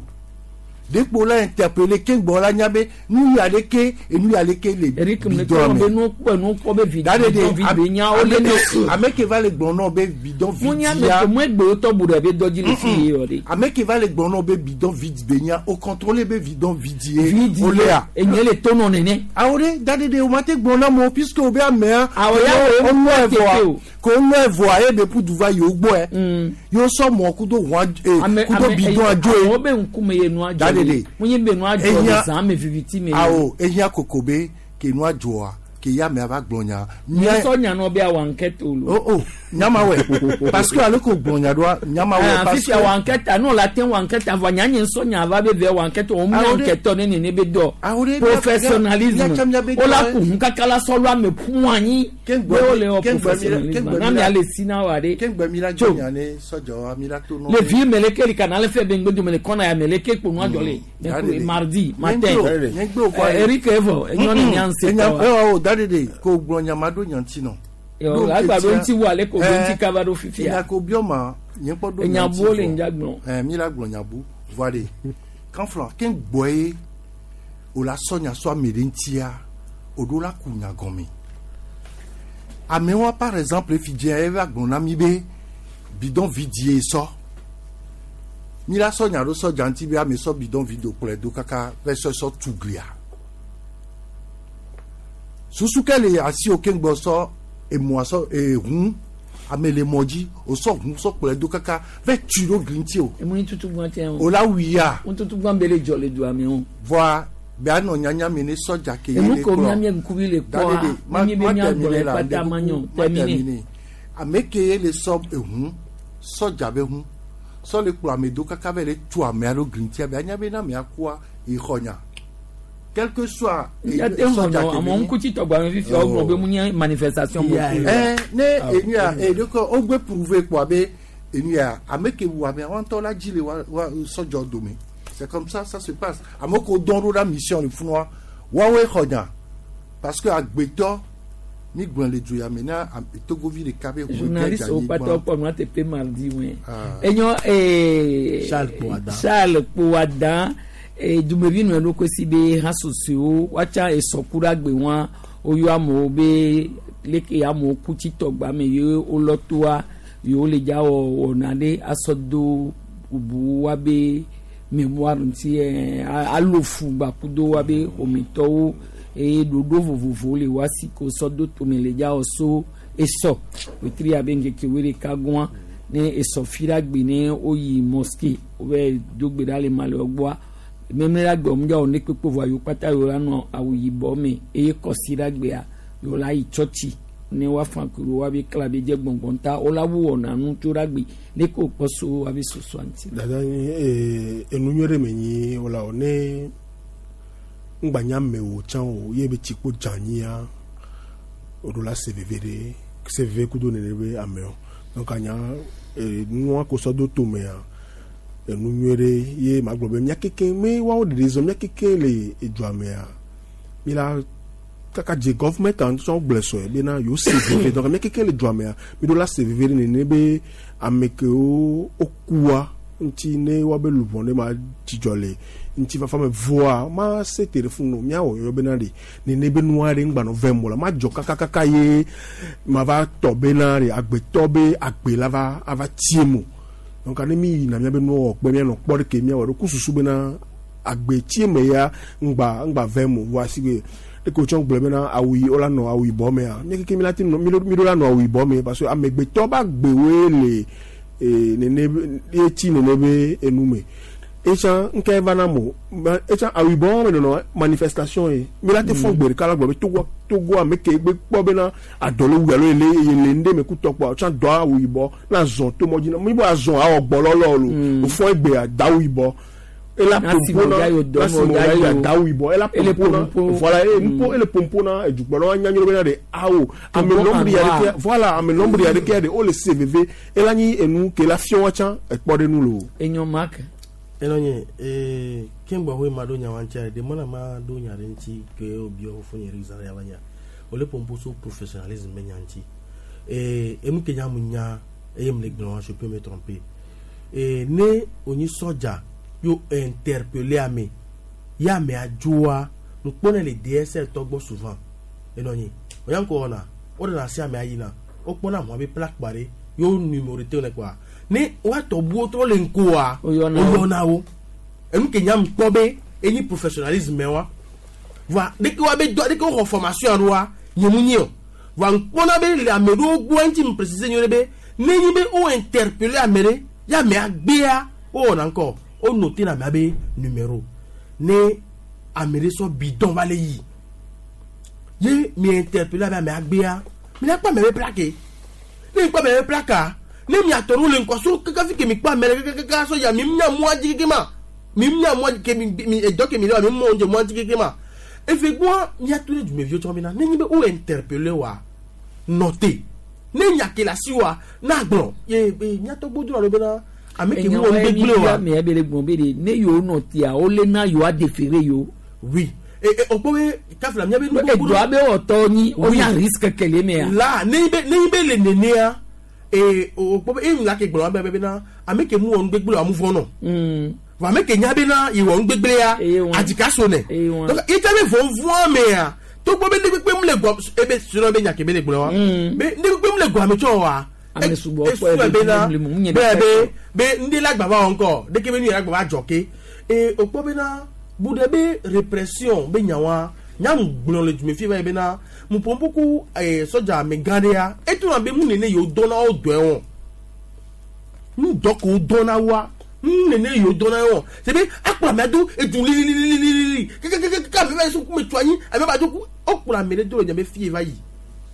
Speaker 16: dekpo la interpellé keŋgbɔ la nya be nu ya ɖe ke enu ya ɖe ke le bidon
Speaker 1: be
Speaker 16: me.
Speaker 1: nu kpɔ nu kpɔ be vi
Speaker 16: Dadede,
Speaker 1: bidon vi be nya wo le ne.
Speaker 16: ame ke va le gblɔ nɔ be bidon
Speaker 1: Mu nya me
Speaker 16: vidia
Speaker 1: ko mu egbe wotɔ bu ɖe be dɔ dzi le fi ye yɔ de.
Speaker 16: ame ke va le gblɔ nɔ be bidon vide be nya o contrôler be bidon vide ye
Speaker 1: Vide
Speaker 16: o lea.
Speaker 1: enye le to nɔ nene.
Speaker 16: Awo ɖe dadede o ma te gblɔ na mo puisque o be amea.
Speaker 1: Awɔ ya wo
Speaker 16: o
Speaker 1: mu
Speaker 16: lɔ
Speaker 1: tepe
Speaker 16: evɔa
Speaker 1: o.
Speaker 16: ko o lɔ evɔa ye be ƒudu va yewo gbɔɛ. Yewo sɔ mɔ kudo ʋua kudo bidon adzo ye.
Speaker 1: Amewo be ŋkume ye nua dzɔ
Speaker 16: Dadede.
Speaker 1: le. Mu nye be nua dzɔ le zã me viviti me.
Speaker 16: Awo ehia koko be ke nua dzɔa ke ya amea va gblɔ nya.
Speaker 1: Nye sɔ nya nɔ be awɔ enquête o lo.
Speaker 16: Oh oh nyama wɛ parce que ale ko gblɔ nya ɖoa nyama wɛ
Speaker 1: Ah,
Speaker 16: parce
Speaker 1: fifia
Speaker 16: que.
Speaker 1: wɔ enquête a n'o la te wɔ enquête vɔ nya nye sɔ nya va be vɛ wɔ enquête o mu
Speaker 16: Awo ɖe-
Speaker 1: enquête ne nene be dɔ.
Speaker 16: Awo ɖe-
Speaker 1: Professionnalisme.
Speaker 16: mía- mía- mía be
Speaker 1: O la
Speaker 16: dɔ-
Speaker 1: ku hun kaka la sɔ lo ame ƒu anyi.
Speaker 16: Keŋgbɔ
Speaker 1: Be wo le wɔ
Speaker 16: mi-
Speaker 1: professionnalisme. Na mia le si na wa de.
Speaker 16: Keŋgbɛ mi la
Speaker 1: Tso.
Speaker 16: dzɔ nya ne sɔdzawoa mi la to nɔ.
Speaker 1: Le vi meleke li kana le fɛ be ŋgbe dome le kɔna ya meleke kpo nua dzɔ le.
Speaker 16: Dadede.
Speaker 1: Mardi matin.
Speaker 16: Nye gbe o kɔ
Speaker 1: Eh, Eric evɔ enyɔ ne nya ŋse
Speaker 16: Enya
Speaker 1: tɔ wa.
Speaker 16: ewa o dadede ko gblɔ nya ma ɖo nya ŋuti nɔ.
Speaker 1: Yo, agba ɖo ŋuti wo ale ko ɖo ŋuti kaba ɖo fifia.
Speaker 16: Enya ko biɔ ma nye kpɔ ɖo
Speaker 1: Enya
Speaker 16: nya ŋuti
Speaker 1: bu wo le
Speaker 16: vɔ.
Speaker 1: ŋdza gblɔ.
Speaker 16: Ɛ mi la gblɔ nya bu voa de kanflɔ ke gbɔ ye o la sɔ nya sɔ ame ɖe ŋutia o ɖo la ku nya gɔme. Amewoa par exemple fi dze ye va gblɔ na mi be bidon vidie sɔ. Mi la sɔ nya ɖo sɔdza ŋuti be ame sɔ bidon vide kplɔe do kaka va sɔ sɔ tu glia. Susu ke le asi wo keŋgbɔ sɔ emɔa sɔ ehun ame le mɔ dzi o sɔ hun sɔ kplɔe do kaka va tu ɖo gli ŋuti o.
Speaker 1: Emu tutu gbɔn tɛ o.
Speaker 16: O la wuia.
Speaker 1: Mu tutu gbɔn be le dzɔ le dua me o.
Speaker 16: Voa be anɔ nyanya me ne sɔdza ke ye
Speaker 1: Enu
Speaker 16: le
Speaker 1: ko
Speaker 16: kplɔ.
Speaker 1: mía mía ŋkuvi le kpɔa,
Speaker 16: Dadede, ma-
Speaker 1: mi be
Speaker 16: ma
Speaker 1: mía
Speaker 16: terminer
Speaker 1: gblɔe
Speaker 16: la,
Speaker 1: kpata ma nyɔ,
Speaker 16: ma
Speaker 1: terminer.
Speaker 16: terminer. Ame ke ye le sɔ ehun sɔdza be hun sɔ le kplɔ ame do kaka va le tu amea ɖo gli ŋutia be anya be na amea kua exɔ nya. Quel que soit
Speaker 1: Ya te xɔ nɔ amewo ŋkuti tɔgba me fifia wo gblɔ be mu nye manifestation
Speaker 16: Eh, ne enu ya edoko wogbe prouver kpoa be enu ya ame ke wu amea wa ŋutɔ la dzi le wa wa sɔdzɔ dome c'est comme ça ça se passe ame ko dɔn ɖo ɖa mission le funua Woawoe xɔ nya parce que agbetɔ mi gblɔ le du ya me na togovi ɖeka be
Speaker 1: Journaliste wo kpata wokpɔ nua teƒe mardi wɛ. Enyɔ ee
Speaker 19: Charles Kpoada.
Speaker 1: Charles Kpoada ee dumevi nɔ eɖokui si be hasosoewo woatsa esɔku ɖe agbe wa woyɔ amewo be leke amewo ku tsi tɔgba me ye wolɔ toa yewo le dza wɔ wɔna ɖe asɔ do bubu wa be mémoire ŋuti ɛɛ alo fu gbakudo wa be ƒometɔwo eye ɖoɖo vovovowo le wa si ko sɔ do tome le dza wɔ so esɔ wetri abe ŋkeke wuiɖeka gɔa ne esɔ fi ɖe agbe ne woyi mosquée wobe do gbe ɖa le malewɔ gbɔa memle ɖe agbe wɔm dza wɔ ne kpekpe vɔa yewo kpata yewo la nɔ awu yibɔ me eye kɔsi ɖe agbea yewo la yi tsɔtsi ne woafa ku ɖo woabe kla be dze gbɔngbɔn ta wola wu wɔna nu tso ɖe agbe ne ko kpɔ so woabe sosoa ŋuti.
Speaker 2: Dada ee enu nyuie ɖe me nyi wala o ne ŋgbanya mewo tsã o ye be tsikpo dzanyia o ɖo la se veve ɖe se veve kudo nene be amewo donc anya ee nua ko sɔ do tomea enu nyuie ɖe ye ma gblɔ be mía keke me woawo ɖeɖe zɔ mía keke le edua mea mi la kaka dze government ŋutɔ gblẽ sɔe bena yewo se veve donc mía keke le dua mea mi ɖo la se veve ɖe nene be ame kewo wokua ŋuti ne woabe luʋɔ ne ma dzidzɔ le ŋutifafa me voa ma se te ɖe funu míawɔ yɔ bena ɖe nene be nua ɖe ŋgbanɔ vem o la ma dzɔ kakakaka ye ma va tɔ bena ɖe agbetɔ be agbe la va ava tie mo donc ne mi yina míabe nuwɔwɔ kpe míanɔ kpɔ ɖe ke míawɔ ɖo ku susu bena agbe tie me ya ŋgba ŋgba vem o voa si be eke wotsɔ gblɔ bena awu yi wola nɔ awu yibɔ mea mía keke mi la te nɔ mi ɖo la nɔ awu yibɔ me parce que amegbetɔ be agbewoe le ee nene ye tsi nene be enu me etsã ŋkɛ va na mo etsã awu yibɔ me nɔnɔ manifestation ye mi la te fɔ gbe ɖeka la gblɔ be togo togo ame ke gbe kpɔ bena adɔ le wu alo ele ele ŋɖe me kutɔ kpɔ tsã dɔ awu yibɔ na zɔn to mɔ dzi na mi bɔ azɔn awɔ gbɔlɔlɔ lo ofɔ egbea da awu yibɔ ela pompo na nasimo ya da awu yibɔ ela pompo na voilà e mpo ele pompo na edukplɔlawo anya nyuie bena ɖe awo ame nombre ya ɖeke voilà ame nombre ya ɖeke ɖe wole se veve ela nyi enu ke la fiɔ wa tsã ekpɔ ɖe nu lo.
Speaker 1: Enyo Mark.
Speaker 19: Enɔ nye ee keŋgbɔ hoe ma ɖo nya wa ŋutia ɖe mɔna ma ɖo nya ɖe ŋuti ke wobiɔ fofo nye ɖe zã ya va nya wole pompo so professionnalisme be nya ŋuti ee enu ke nya mu nya eye mu le gblɔ wa je peux me tromper ee ne onyi sɔdza yo interpeller ame ye amea dzoa ŋkpɔnɛ le DSL tɔ gbɔ souvent enɔ nyi oya ŋkɔ wɔna woɖena asi amea yina wokpɔna hɔn be plaque kpa ɖe yo numéro te ne kɔa ne woatɔ buwo trɔ le ŋkɔa woyɔna wo enu ke nyam kpɔ be enyi professionnalisme wa voa ɖeke wa be dɔ ɖeke woxɔ formation ɖoa nye mu nyi o voa ŋkpɔna be le ame ɖewo gbɔ ŋuti mu préciser nyuie be ne nyi be wo interpeller ame ɖe ye amea gbea wowɔna ŋkɔ wo noter na amea be numéro ne ame ɖe sɔ bidon va le yi ye mi interpeller abe amea gbea mi la kpɔ ame be plaque ne mi kpɔ ame be plaque ne miatɔ ɖo le ŋkɔ so kaka fi ke mi kpɔ ame ɖe kaka so ya mi mia mɔa dzi keke ma mi mia mɔa ke mi mi edɔ ke mi le wa mi mɔ dze mɔa dzi keke ma efe gbɔa miato ɖe dumeviwo tsɔ bena ne nyi be wo interpeller wa nɔte ne nya ke le asi wa na gblɔ ye ye miatɔ gbɔdo alo bena ame ke mu wɔ nu gbegblẽ wa.
Speaker 1: Ame be le gbɔn be de ne yewo nɔ tia wole na yewoa déférer yewo.
Speaker 19: Oui e e o kpɔ be kafla mia be nu
Speaker 1: gbogbo. Edɔ abe wɔtɔ nyi o nya risque kele mea.
Speaker 19: La ne nyi be ne nyi be le nenea ee o kpɔ be eyi la ke gblɔ wa be bena ame ke mu wɔ nu gbegblẽ wa mu vɔ nɔ. Vɔ ame ke nya bena ye wɔ nu gbegblẽa adzika so nɛ. Donc ita be vɔvɔa mea togbɔ be ne kpekpe mu le gɔ ebe srɔ̃ be nya ke be le gblɔ wa. Be ne kpekpe mu le gɔ ame tsɔ wa.
Speaker 1: Ame sugbɔ kpɔ
Speaker 19: ebe bena be be be ŋdi la gbava wɔ ŋkɔ ɖeke be nu yɛrɛ gbava dzɔ ke ee o kpɔ bena bu ɖe be répression be nya wa nyamu gblɔ le dume fi va yi bena mupɔnpuku ee sɔdza amegã ɖea etu na be mu nene yewo dɔna wo dɔe wɔn nu dɔ ko dɔna wa nu nene yewo dɔna wɔn c'est be akplɔ amea do edu lililililili kekekeke ame va yi so kume tso anyi ame va do ku wokplɔ ame ɖe do le nyame fi va yi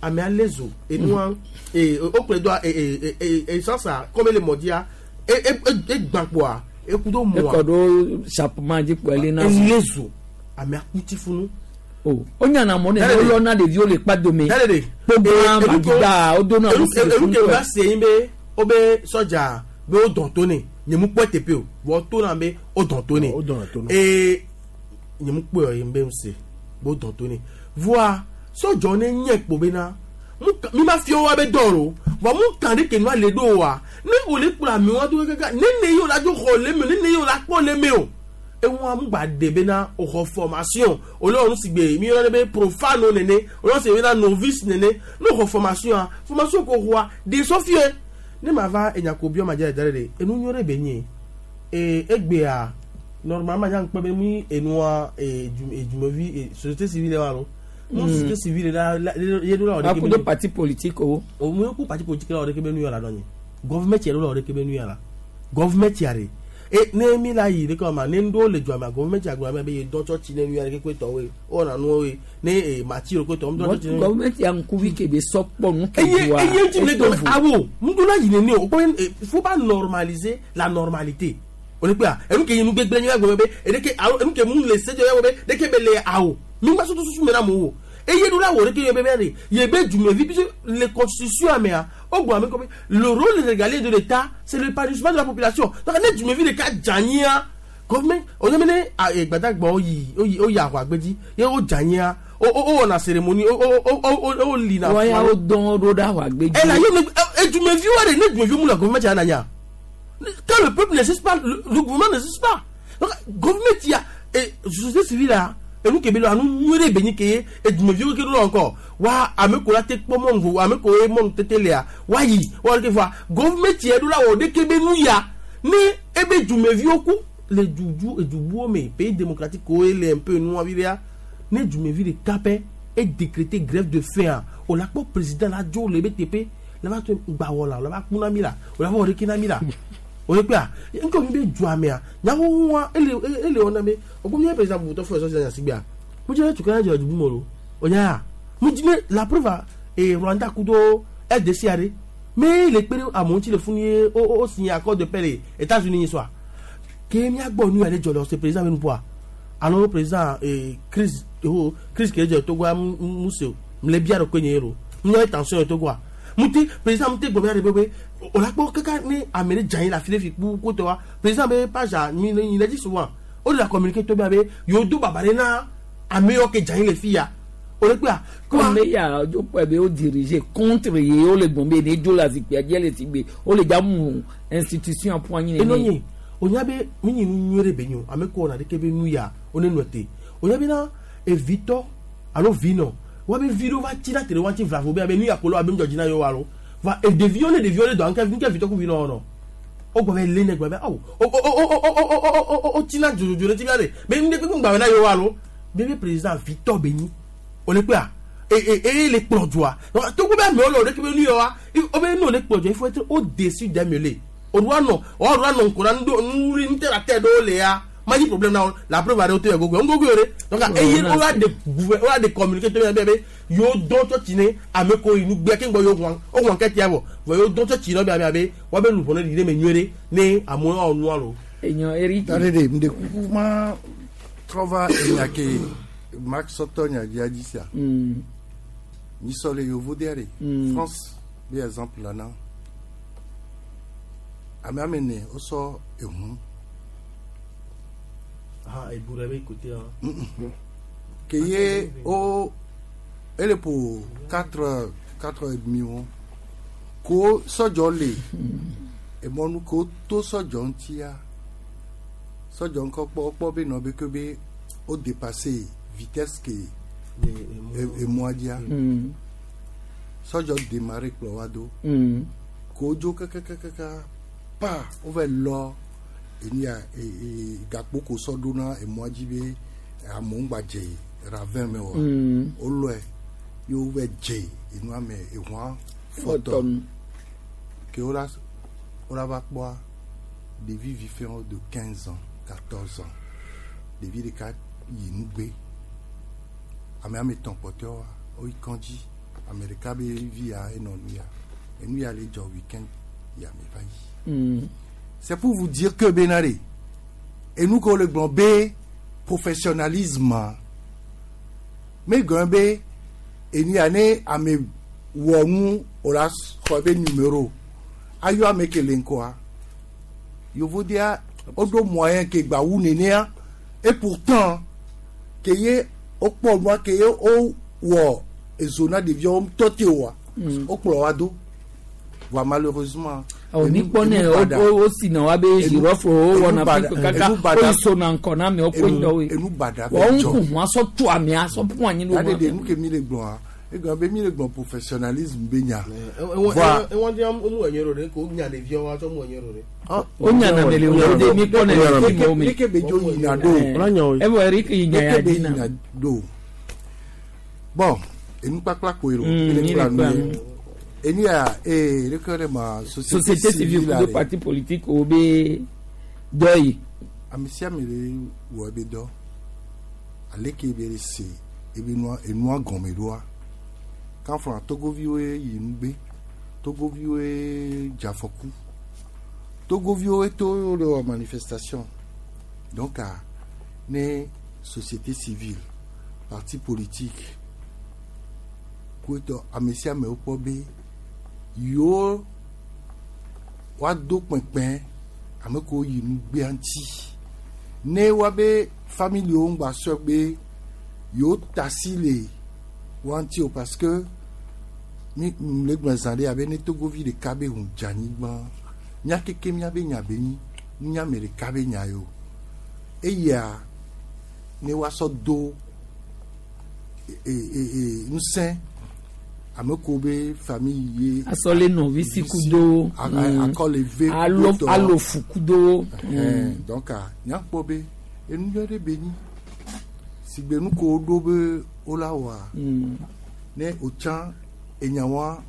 Speaker 19: amea lé zo enua ee wokplɔe doa ee ee essence kɔme le mɔdzia e e egbã kpoa eku do mɔa.
Speaker 1: Ekɔ ɖo sapement dzi kpɔ ele na.
Speaker 19: Elé zo amea ku tsi funu.
Speaker 1: O o nyana mɔ ne wolɔna ɖeviwo le kpa dome. Kpogba magigba wodona
Speaker 19: wo si le funu. Enu ke va se yin be wo be sɔdza be wo dɔn to ne nye mu kpɔ teƒe o vɔ to na be wo dɔn to ne ee nye mu kpɔe yin be mu se Bo dɔn to ne. Voa sɔdzɔ ne nye kpo bena mi ma fia wa be dɔ lo vɔ mu kan ɖe ke nua le ɖo wa ne wo le kplɔ amewo do kaka ne ne yi wo la dzo xɔ le me ne ne yi wo la kpɔ le me o eŋua mu gba de bena o xɔ formation o le wɔ nu si gbe mi yɔna be profano nene o le wɔ si bena novice nene ne o xɔ formation a formation ko xɔa de sɔfie ne ma va enyako biɔ ma dze le da ɖe ɖe enu nyɔ ɖe be nye ee egbea normalement nya ŋkpɛ be mi enua ee dumevi ee société civile wa lo mu société civile la la ye do la wɔ ɖeke
Speaker 1: akudo parti politique o.
Speaker 19: O mu ku parti politique la wɔ ɖeke be nu ya la dɔ nye gɔvmɛnt yɛ do la wɔ ɖeke be nu ya la gɔvmɛnt ya de e ne mi la yi ɖeke ma ne ŋɖo le dua ma gɔvmɛnt ya gblɔ ma be ye dɔ tsɔtsi ne nu ya ɖeke koe tɔwoe o wɔna nuwo ye ne ee mati ɖo koe tɔ mu dɔ tsɔtsi ne.
Speaker 1: Gɔvmɛnt ya ŋkuvi ke be sɔ kpɔ nu ke
Speaker 19: eye
Speaker 1: doa
Speaker 19: eye ŋuti le
Speaker 1: eto
Speaker 19: dɔn
Speaker 1: vo.
Speaker 19: awo ŋdo la yi nene o kpɔ e faut pas normaliser la normalité o le kpe a enu ke yi nu gbegble nye gblɔ be edeke alo enu ke mu le se dzɔ ya be ɖeke be le awo mi gba soto susu me na mo wo eye ɖo la wɔ ɖeke ye be be de ye be dumevi puisque le constitution amea o gblɔ ame kɔ be le rôle régalien de l'État, c'est l'épanouissement de la population. Donc ne dumevi ɖeka dze anyia gɔvmɛ o nye be ne a e gbadagba wo yi wo yi wo yi aʋagbedzi ye wo dze anyia wo wo wo wɔna cérémonie wo wo wo wo wo lina
Speaker 1: Wɔn ya wo dɔn ɖo ɖe aʋagbedzi.
Speaker 19: ela ye me edumeviwo ɖe ne dumeviwo mu le gɔvmɛ tsa na nya quand le peuple n'existe pas, le gouvernement n'existe pas. Donc gouvernement ya et société civile la enu ke be lo anu nyuie ɖe be nyi ke ye edumeviwo ke ɖo la encore wa ame ko la te kpɔ mɔnu vovo ame ko ye mɔnu tete lea wa yi wa ɖeke voa gouvernement ya ɖo la wɔ ɖeke be nu ya ne ebe dumeviwo ku le dudu edubuwo me pays démocratique ko ye le un peu nua vi ɖea ne dumevi ɖeka pɛ e décréter grève de faim o la kpɔ président la dzo le ebe teƒe la va to gbawɔ la o la va ku na mi la o la va wɔ ɖeke na mi la o ye kpea ŋkɔ mi be dua mea nyawowoa ele ele wɔna be o ko mi ye président bubutɔ fɔ ɛsɔ sisan sigbea mo dzi ne tukɔ ya dzɔ dubu me o o nya ya mo dzi ne la preuve a e Rwanda kudo RDC aɖe me le kpe ɖe amewo ŋuti le funu ye o o o signé accord de paix le États-Unis yi soa ke miagbɔ nu ya ɖe dzɔ le ɔse président be nuƒoa alo président ee crise o crise ke dzɔ Togoa mu se o mle bia ɖe koe nye ye lo mu tension ye Togoa mu te président mu te gbɔ be aɖe be be o la kpɔ kaka ne ame ɖe dze anyi le afi ɖe fi kpu kotɔ wa président be page a mi mi le dzi souvent o de la communiquer to be abe yewo do baba ɖe na ame yiwo ke dze anyi le fi ya o le kpea.
Speaker 1: Comme ya dzo kpɔe be wo diriger contre ye wo le gbɔn be ne dzo le azikpuia dzi le si gbe wo le dza mu institution ƒu anyi
Speaker 19: eno
Speaker 1: nene.
Speaker 19: nye o nya be mi nyi nu nyuie ɖe be nyo ame ko wɔna ɖeke be nu ya wo ne nɔ te o nya be na evitɔ alo vinɔ wa be vi ɖewo va tsi na te ɖe wa ŋuti vlavo be abe nu ya ko lo abe ŋdzɔ dzi na yewo alo va ɖeviwo ne ɖeviwo ne dɔ ŋke ŋke vitɔ ku vinɔ wɔnɔ o gbɔ be lé ne gbɔ be awo o o o o o o o o o tsi na dzodzo ɖe ti bia ɖe be nu ɖe kpekpe ŋgba na yewo alo be be président vitɔ be nyi o le kpea e e e le kplɔ dzoa donc togo be amewo le o ɖeke be nu ya wa o be ne o le kplɔ dzoa il faut être au-dessus des mêlées o doit nɔ o doit nɔ ŋkɔ na nu ɖo nu nu tɛ la tɛ ɖewo le ya ma nyi problème na wo la preuve aɖewo te yɛ gogo ŋgogo yɛ ɖe donc eye o la de gouver o la de communiquer to bɛ be yewo dɔn tsɔtsi ne ame ko yi nugbe keŋ gbɔ yewo wɔn o wɔn kɛ tia vɔ vɔ yewo dɔn tsɔtsi nɔ bia be wa be luʋɔ ne ɖi ɖe me nyuie ɖe ne amewo awɔ nua lo.
Speaker 1: Enyɔ Eric.
Speaker 16: Tare de mde kuku ma trɔva enya ke Mark sɔtɔ nya dzia dzi sia. Nyisɔ le yevu de ɖe. France be exemple la na. Ame ame ne wosɔ ehu.
Speaker 19: Ah, ebu ɖe be kote hã.
Speaker 16: Ke ye o ele po 4 4 et demi wo. Ko sɔdzɔ le emɔnu ko to sɔdzɔ ŋutia sɔdzɔ ŋkɔ kpɔ kpɔ be nɔ be ke be o dépassé vitesse ke emɔa dzia. Sɔdzɔ démarré kplɔ wa do. Ko dzo kakakakaka pa wova lɔ enu ya e e gakpo ko sɔ ɖo na emɔa dzi be amewo ŋgba dze ravin me oa. Wolɔe ye wova dze enua me ehua fɔtɔ.
Speaker 1: Fɔtɔ.
Speaker 16: Ke wola wola va kpɔa ɖevi vifɛwo de 15 ans 14 ans ɖevi ɖeka yi nugbe ame ame etɔ̃ kpɔtɔewoa woyi kɔdzi ame ɖeka be vi ya enɔ nu ya enu ya le dzɔ weekend ya me va yi. C'est pour vous dire que bena ɖe enu ke wole gblɔ be professionnalisme me gɔme be enu ya ne ame wɔ nu o la xɔ be numéro ayɔ ame ke le ŋkɔa yevodia woɖo moyen ke gba wu nenea et pourtant ke ye Wokpɔ nua ke ye wowɔ ezo na ɖeviawo ŋutɔ te oa. Wokplɔ wa do. Voa malheureusement.
Speaker 1: Ɔ mi kpɔ ne wo si na wa be girofle wo wɔna fi kaka wo sona ŋkɔ na amewo ko ŋdɔ
Speaker 16: Enu baɖa
Speaker 1: we. Wɔn ŋku hu asɔ tu amea sɔ ƒu anyi ɖo.
Speaker 16: Aɖe de nu ke mi le gblɔa, egblɔ be mi le gblɔ professionnalisme be nya.
Speaker 19: Voa ewɔn di mu enye ɖo ɖe ko nya ɖeviawo wa tsɔ mu enye ɖo ɖe.
Speaker 1: O nya na mele wo de mi kpɔ ne le fi mo mi.
Speaker 16: Leke be dzo yina ɖo.
Speaker 1: Evɔ Eric yi nya ya
Speaker 16: Leke be
Speaker 1: dzi na.
Speaker 16: yina ɖo. Bon, enu kpakpla koe ɖo.
Speaker 1: Mi
Speaker 16: Mi le
Speaker 1: le
Speaker 16: kpla nu
Speaker 1: kpla
Speaker 16: ye.
Speaker 1: nu.
Speaker 16: Enu ya ee leke ɖe ma
Speaker 1: Société civile
Speaker 16: la
Speaker 1: kudo
Speaker 16: ɖe.
Speaker 1: parti politique wo be dɔ yi.
Speaker 16: Ame sia ame le wɔ ebe dɔ. Aleke be le se ebe nua enua gɔme ɖoa. Kanfra togoviwoe yi nugbe. Togoviwoe dze afɔku. Togoviwoe to le wɔ manifestation. Donc a ne société civile, parti politique, koetɔ ame sia ame wokpɔ be yewo woado kpɛkpɛ ame kewo yi nugbea ŋuti ne woabe familiwo ŋgba sɔ be yewo tasi le woa ŋuti o parce que mi le gblɔ zã ɖe abe ne togovi ɖeka be ŋu dze anyigba mía keke míabe nya be nyi nunya ame ɖeka be nya ye o eya ne woasɔ do e e e ŋusẽ ame kewo be famille ye
Speaker 1: Asɔ le nɔvi si kudo.
Speaker 16: Akɔ le ve
Speaker 1: Alo
Speaker 16: kpotɔ.
Speaker 1: alo fu kudo.
Speaker 16: Ɛhɛn, donc a nyakpɔ be enu nyuie ɖe be nyi sigbe nu ko woɖo be wola wɔa ne wotsã enyawoa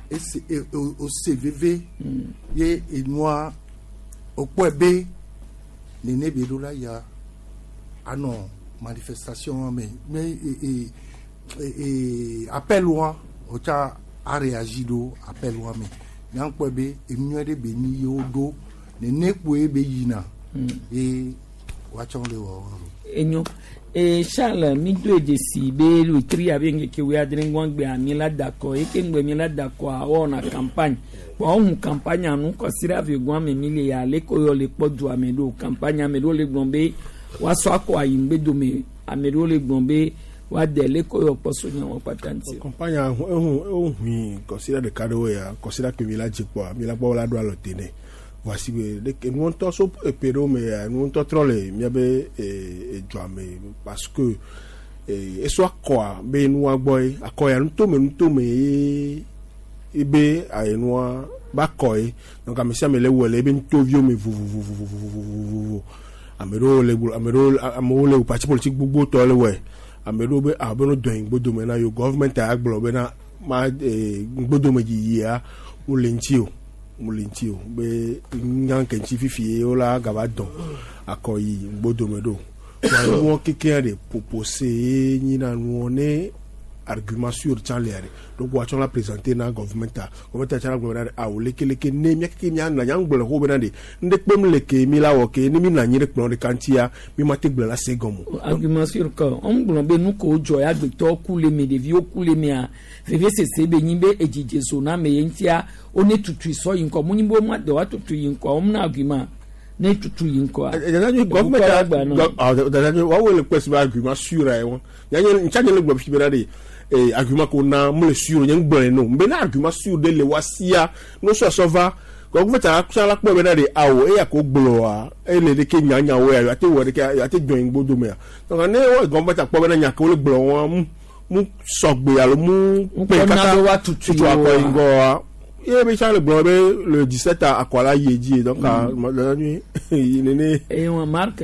Speaker 16: ese e o ose veve ye enua wokpɔe be nene be ɖo la ya anɔ manifestation wa me me e e e e appel wa wotsã a réagi ɖo appel wa me nyakpɔe be enu nyuie ɖe be nyi ye woɖo nene kpoe be yina ye woatsɔ le wɔwɔ ɖo.
Speaker 1: Enyo e Charles mi do dzesi be wetri abe ŋkeke wuiadre ŋgɔgbe mi la da kɔ eke ŋgbe mi la da kɔa wɔna campagne kpɔ ɔhun campagne nu kɔsi ave gɔn ame mi le ya ale ko yɔ le kpɔ du ame ɖo campagne ame ɖewo le gblɔ be woasɔ akɔ ayi ŋgbe dome ame ɖewo le gblɔ be woade le ko yɔ kpɔ so nya wɔn kpata ŋuti.
Speaker 2: Campagne ehun ehui kɔsiɖa ɖeka ɖewo ya kɔsiɖa ke mi la dze kpɔa mi la gbɔ la ɖo alɔ te nɛ voici be ɖeke nuwo ŋutɔ so epe ɖewo me ya nuwo ŋutɔ trɔ le miabe edzoa me parce que esɔ akɔa be nua gbɔ ye akɔ ya nutome nutome ye ebe ayenua ba kɔ ye donc ame sia ame le wɔ le ebe nutoviwo me vovovovovovovovo ame ɖewo le gblɔ ame ɖewo amewo le parti politique gbogbo tɔ le wɔe ame ɖewo be ah be no dɔn ŋgbodome na yo gɔvmɛnt ya gblɔ bena ma ŋgbodome yiyia wole ŋuti o wole ŋuti o be nya ke ŋuti fifi ye wola gava dɔn akɔ yi ŋgbodome ɖo wa nuwɔ kekea ɖe propose ye nyina nuwɔ ne argument sur tsã lia ɖe donc woatsɔ la présenter na gɔvmɛnta gɔvmɛnta tsã la gblɔ bena ɖe awo lekeleke ne mía keke mía nɔ anyi gblɔ xɔ bena ɖe ŋɖe kpem le ke mi la wɔ ke ne mi nɔ anyi ɖe kplɔ ɖeka ŋutia mi ma te gblɔ la se gɔme o.
Speaker 1: Argument sur que on gblɔ be nu ko dzɔ ya agbetɔ ku le me ɖeviwo ku le mea vevesese be nyi be edzidze zo na ame ye ŋutia wo ne tutui sɔ yi ŋkɔ mu nyi be wo ma de wa tutui yi ŋkɔ wo mna argument ne tutu yi ŋkɔa.
Speaker 2: Gɔvmɛnta dada wawo le kpɛsi be argument sur ye wɔn yanyi ntsa nye le gblɔ fi bena ɖe ee argument ko na mu le sur nye ŋgblɔ ne o mbe na argument sur ɖe le wa sia no sɔsɔ va gɔvmɛnta tsã la kpɔ bena ɖe awo eya ko gblɔa ele ɖeke nyanyawo ya ate wɔ ɖeke ate dɔn ŋgbo domea donc ne wɔ gɔvmɛnta kpɔ bena nya ke wo le gblɔ wɔn mu mu sɔgbe alo mu
Speaker 1: Ŋkɔ na be woatutu
Speaker 2: tutu akɔ yi
Speaker 1: woa.
Speaker 2: ŋgɔa ye be tsã le gblɔ be le 17 akɔ la yi edzi donc dada nyui yi nene.
Speaker 1: Eye wɔn Marc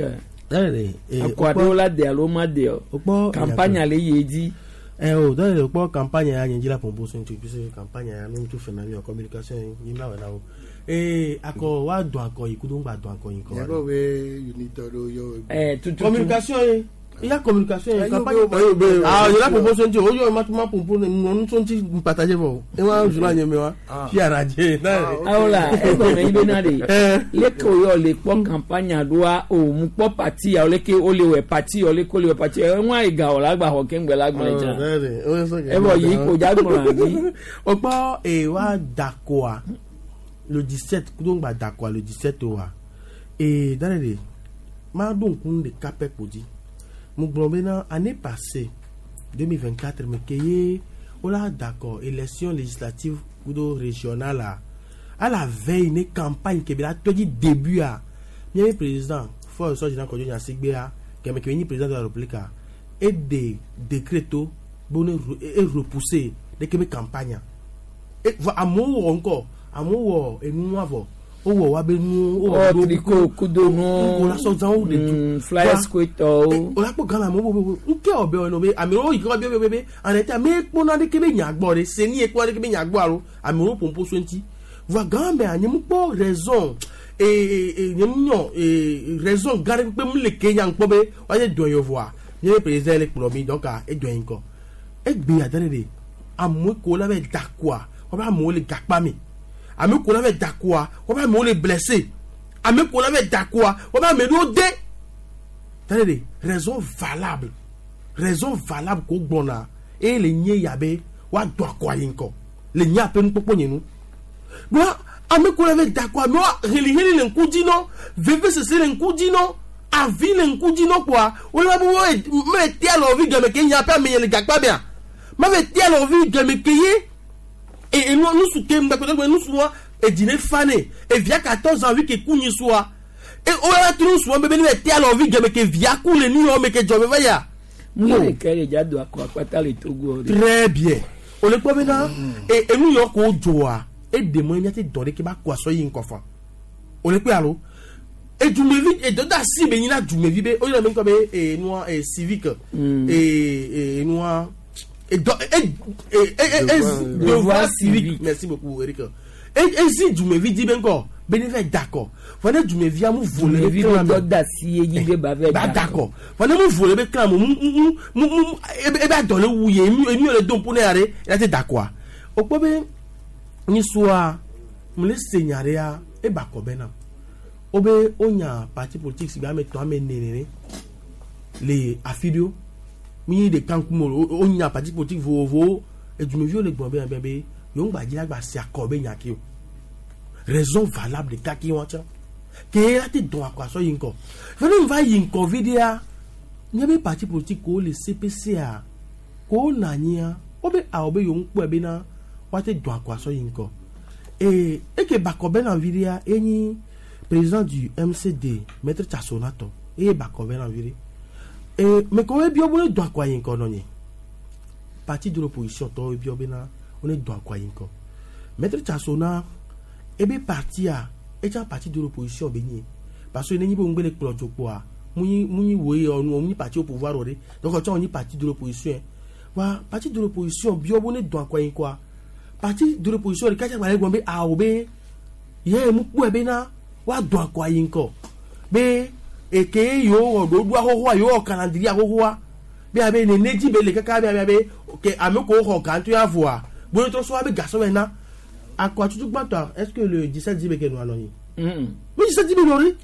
Speaker 19: Dale,
Speaker 1: akɔ aɖewo la de alo ma de o campagne le yi edzi.
Speaker 19: Eh o, dale, kpɔ campagne ya nye dzi la pɔmpo so ŋuti puisque campagne ya nu tu fena mi o communication yi mi la wɔ na wo. Ee akɔ wa dɔn akɔ yi kudo ŋgba dɔn akɔ yi kɔ.
Speaker 16: Yàrá be unité ɖewo yɔ.
Speaker 1: Eh tutu
Speaker 19: Communication ye iya communication ye
Speaker 16: Eh,
Speaker 19: campagne.
Speaker 16: yo be-
Speaker 19: Ah yɛrɛ pɔmpo so ŋuti o yɔ ma ma pɔmpo ne nɔnu so ŋuti partager fɔ. E wa zula nye mi wa. Fi araje.
Speaker 1: Awo la egɔme yi bena de leke wo yɔ le kpɔ campagne ɖoa o mu kpɔ parti ya leke wo le wɔ parti yɔ leke wo le wɔ parti yɔ eŋua yi ga wɔ la gba xɔ keŋgbe la gblẽ dza evɔ yi ko dza gblɔ anyi.
Speaker 19: O kpɔ ee wa dakoa le 17 kudo ŋgba dakoa le 17 oa ee dale de ma ɖo ŋku ɖeka pɛ ko dzi Mo gblɔ bena année passée 2024 me ke ye wola d'accord élection législative kudo régionale a à la veille ne campagne ke be la tɔ dzi début a miabe président Faure Essozimna Kodjo Gnassingbé keme ke nyi président de la république a eɖe décret to be ne e repousser ɖeke be campagne a e vɔ amewo wɔ ŋkɔ amewo wɔ enua vɔ wowɔ wa be nuwo
Speaker 1: wowɔ tricot kudo nuwo
Speaker 19: wo la sɔ zã wo ɖe du
Speaker 1: flyers koetɔwo
Speaker 19: o la kpɔ Ghana amewo be ŋkɛ wɔ be ɔnɔ be amewo yi ke wa be be be ane te ame kpɔna ɖeke be nya gbɔ ɖe seni ye kpɔna ɖeke be nya gbɔ alo amewo ƒoƒo so ŋuti vɔa Ghana mea nye mu kpɔ raison ee nye mu nyɔ ee raison gã ɖe kpekpe mu le ke nya ŋkpɔ be wa nye dɔn yɔ vɔa nye be président le kplɔ mi donc edɔn yi ŋkɔ egbe ya ɖe ɖe amewo ko la be dakoa wobe amewo le gakpa me ame ko la be dakoa wobe amewo le blessé ame ko la be dakoa wobe ame ɖewo de ɖe ɖe raison valable raison valable ko gbɔna eye le nye ya be woado akɔ ayi ŋkɔ le nye aƒe nukpɔkpɔ nye nu ɖoa ame ko la be dakoa amewo heliheli le ŋku dzi nɔ vevesese le ŋku dzi nɔ avi le ŋku dzi nɔ kpoa wole be wo me tea lɔvi game ke nye aƒe ame nye le gakpa mea ma be tea lɔvi game ke ye e enu nusu ke ŋgbɛkpɛtɛ nusu wa edzi ne fa ne evia 14 ans vi ke ku nyi sua e o ya tu nusu wa bebe ne be tea lɔvi game ke via ku le nu yɔ me ke dzɔ be va ya.
Speaker 1: mu yɛ ɖeka yɛ dza do akɔ akpata le Togo.
Speaker 19: Très bien o le kpɔ bena e enu yɔ ko dzɔa eɖe mɔ míate dɔ ɖe ke ba kɔ asɔ yi ŋkɔ fa o le kpe alo edumevi edɔ da si be nyina dumevi be o yɛrɛ mi ŋkɔ be e nua e civique e e nua edɔ e e e e devoir civique, merci beaucoup Eric, e ezi dumevi di be ŋkɔ be ne fɛ dakɔ fɔ ne dumevia mu vo le
Speaker 1: be
Speaker 19: klan
Speaker 1: me dɔ da si ye dzi be ba vɛ
Speaker 19: ba dakɔ fɔ ne mu vo le be klan me mu mu mu mu ebe adɔ le wu ye enu enu le do ŋku ne ya ɖe ya te dakɔa o kpɔ be nyisua mu le se nya ɖe ya eba kɔ be na wo be wonya parti politique si be ame tɔn ame ene nene le afi ɖewo mi ɖeka ŋkume o wonya parti politique vovovowo edumeviwo le gblɔ be be be yewo ŋgba dzi la gba se akɔ be nya ke o raison valable ɖeka ke wɔn tsã ke la te dɔn akɔ asɔ yi ŋkɔ fɛnɛ va yi ŋkɔ vi ɖea nye be parti politique ko le CPC a ko na anyia wo be awɔ be yewo ŋkpɔe bena woate dɔn akɔ asɔ yi ŋkɔ ee eke bakɔ be na vi ɖea enyi président du MCD, maître Tchassonato, eye bakɔ be na vi ɖe ee mɛ ko ebiɔ be ne dɔn akɔ ayi ŋkɔ nɔ nye parti de l'opposition tɔwo ebiɔ bena wo ne dɔn akɔ ayi ŋkɔ maître Tchassona ebe parti a etsa parti de l'opposition be nyi parce que ne nyi be ŋgbe le kplɔ dzo kpoa mu nyi wo ye ɔnu mu nyi parti au pouvoir o de donc ɔtsɔ wo nyi parti de l'opposition wa parti de l'opposition biɔ be ne dɔn akɔ ayi ŋkɔa parti de l'opposition ɖeka tsa gbalẽ gblɔ be awo be ye mu kpɔe bena woadɔn akɔ ayi ŋkɔ be eke yewo wɔ ɖoɖoa xoxoa yewo wɔ calendrier xoxoa be abe nene dzi be le kaka be abe ke ame ko xɔ gãtɔ ya voa bone trɔ sɔ abe gasɔ bɛ na akɔ atutu gbãtɔa est ce que le 17 dzi be ke nua nɔ anyi mi 17 dzi be nɔ ri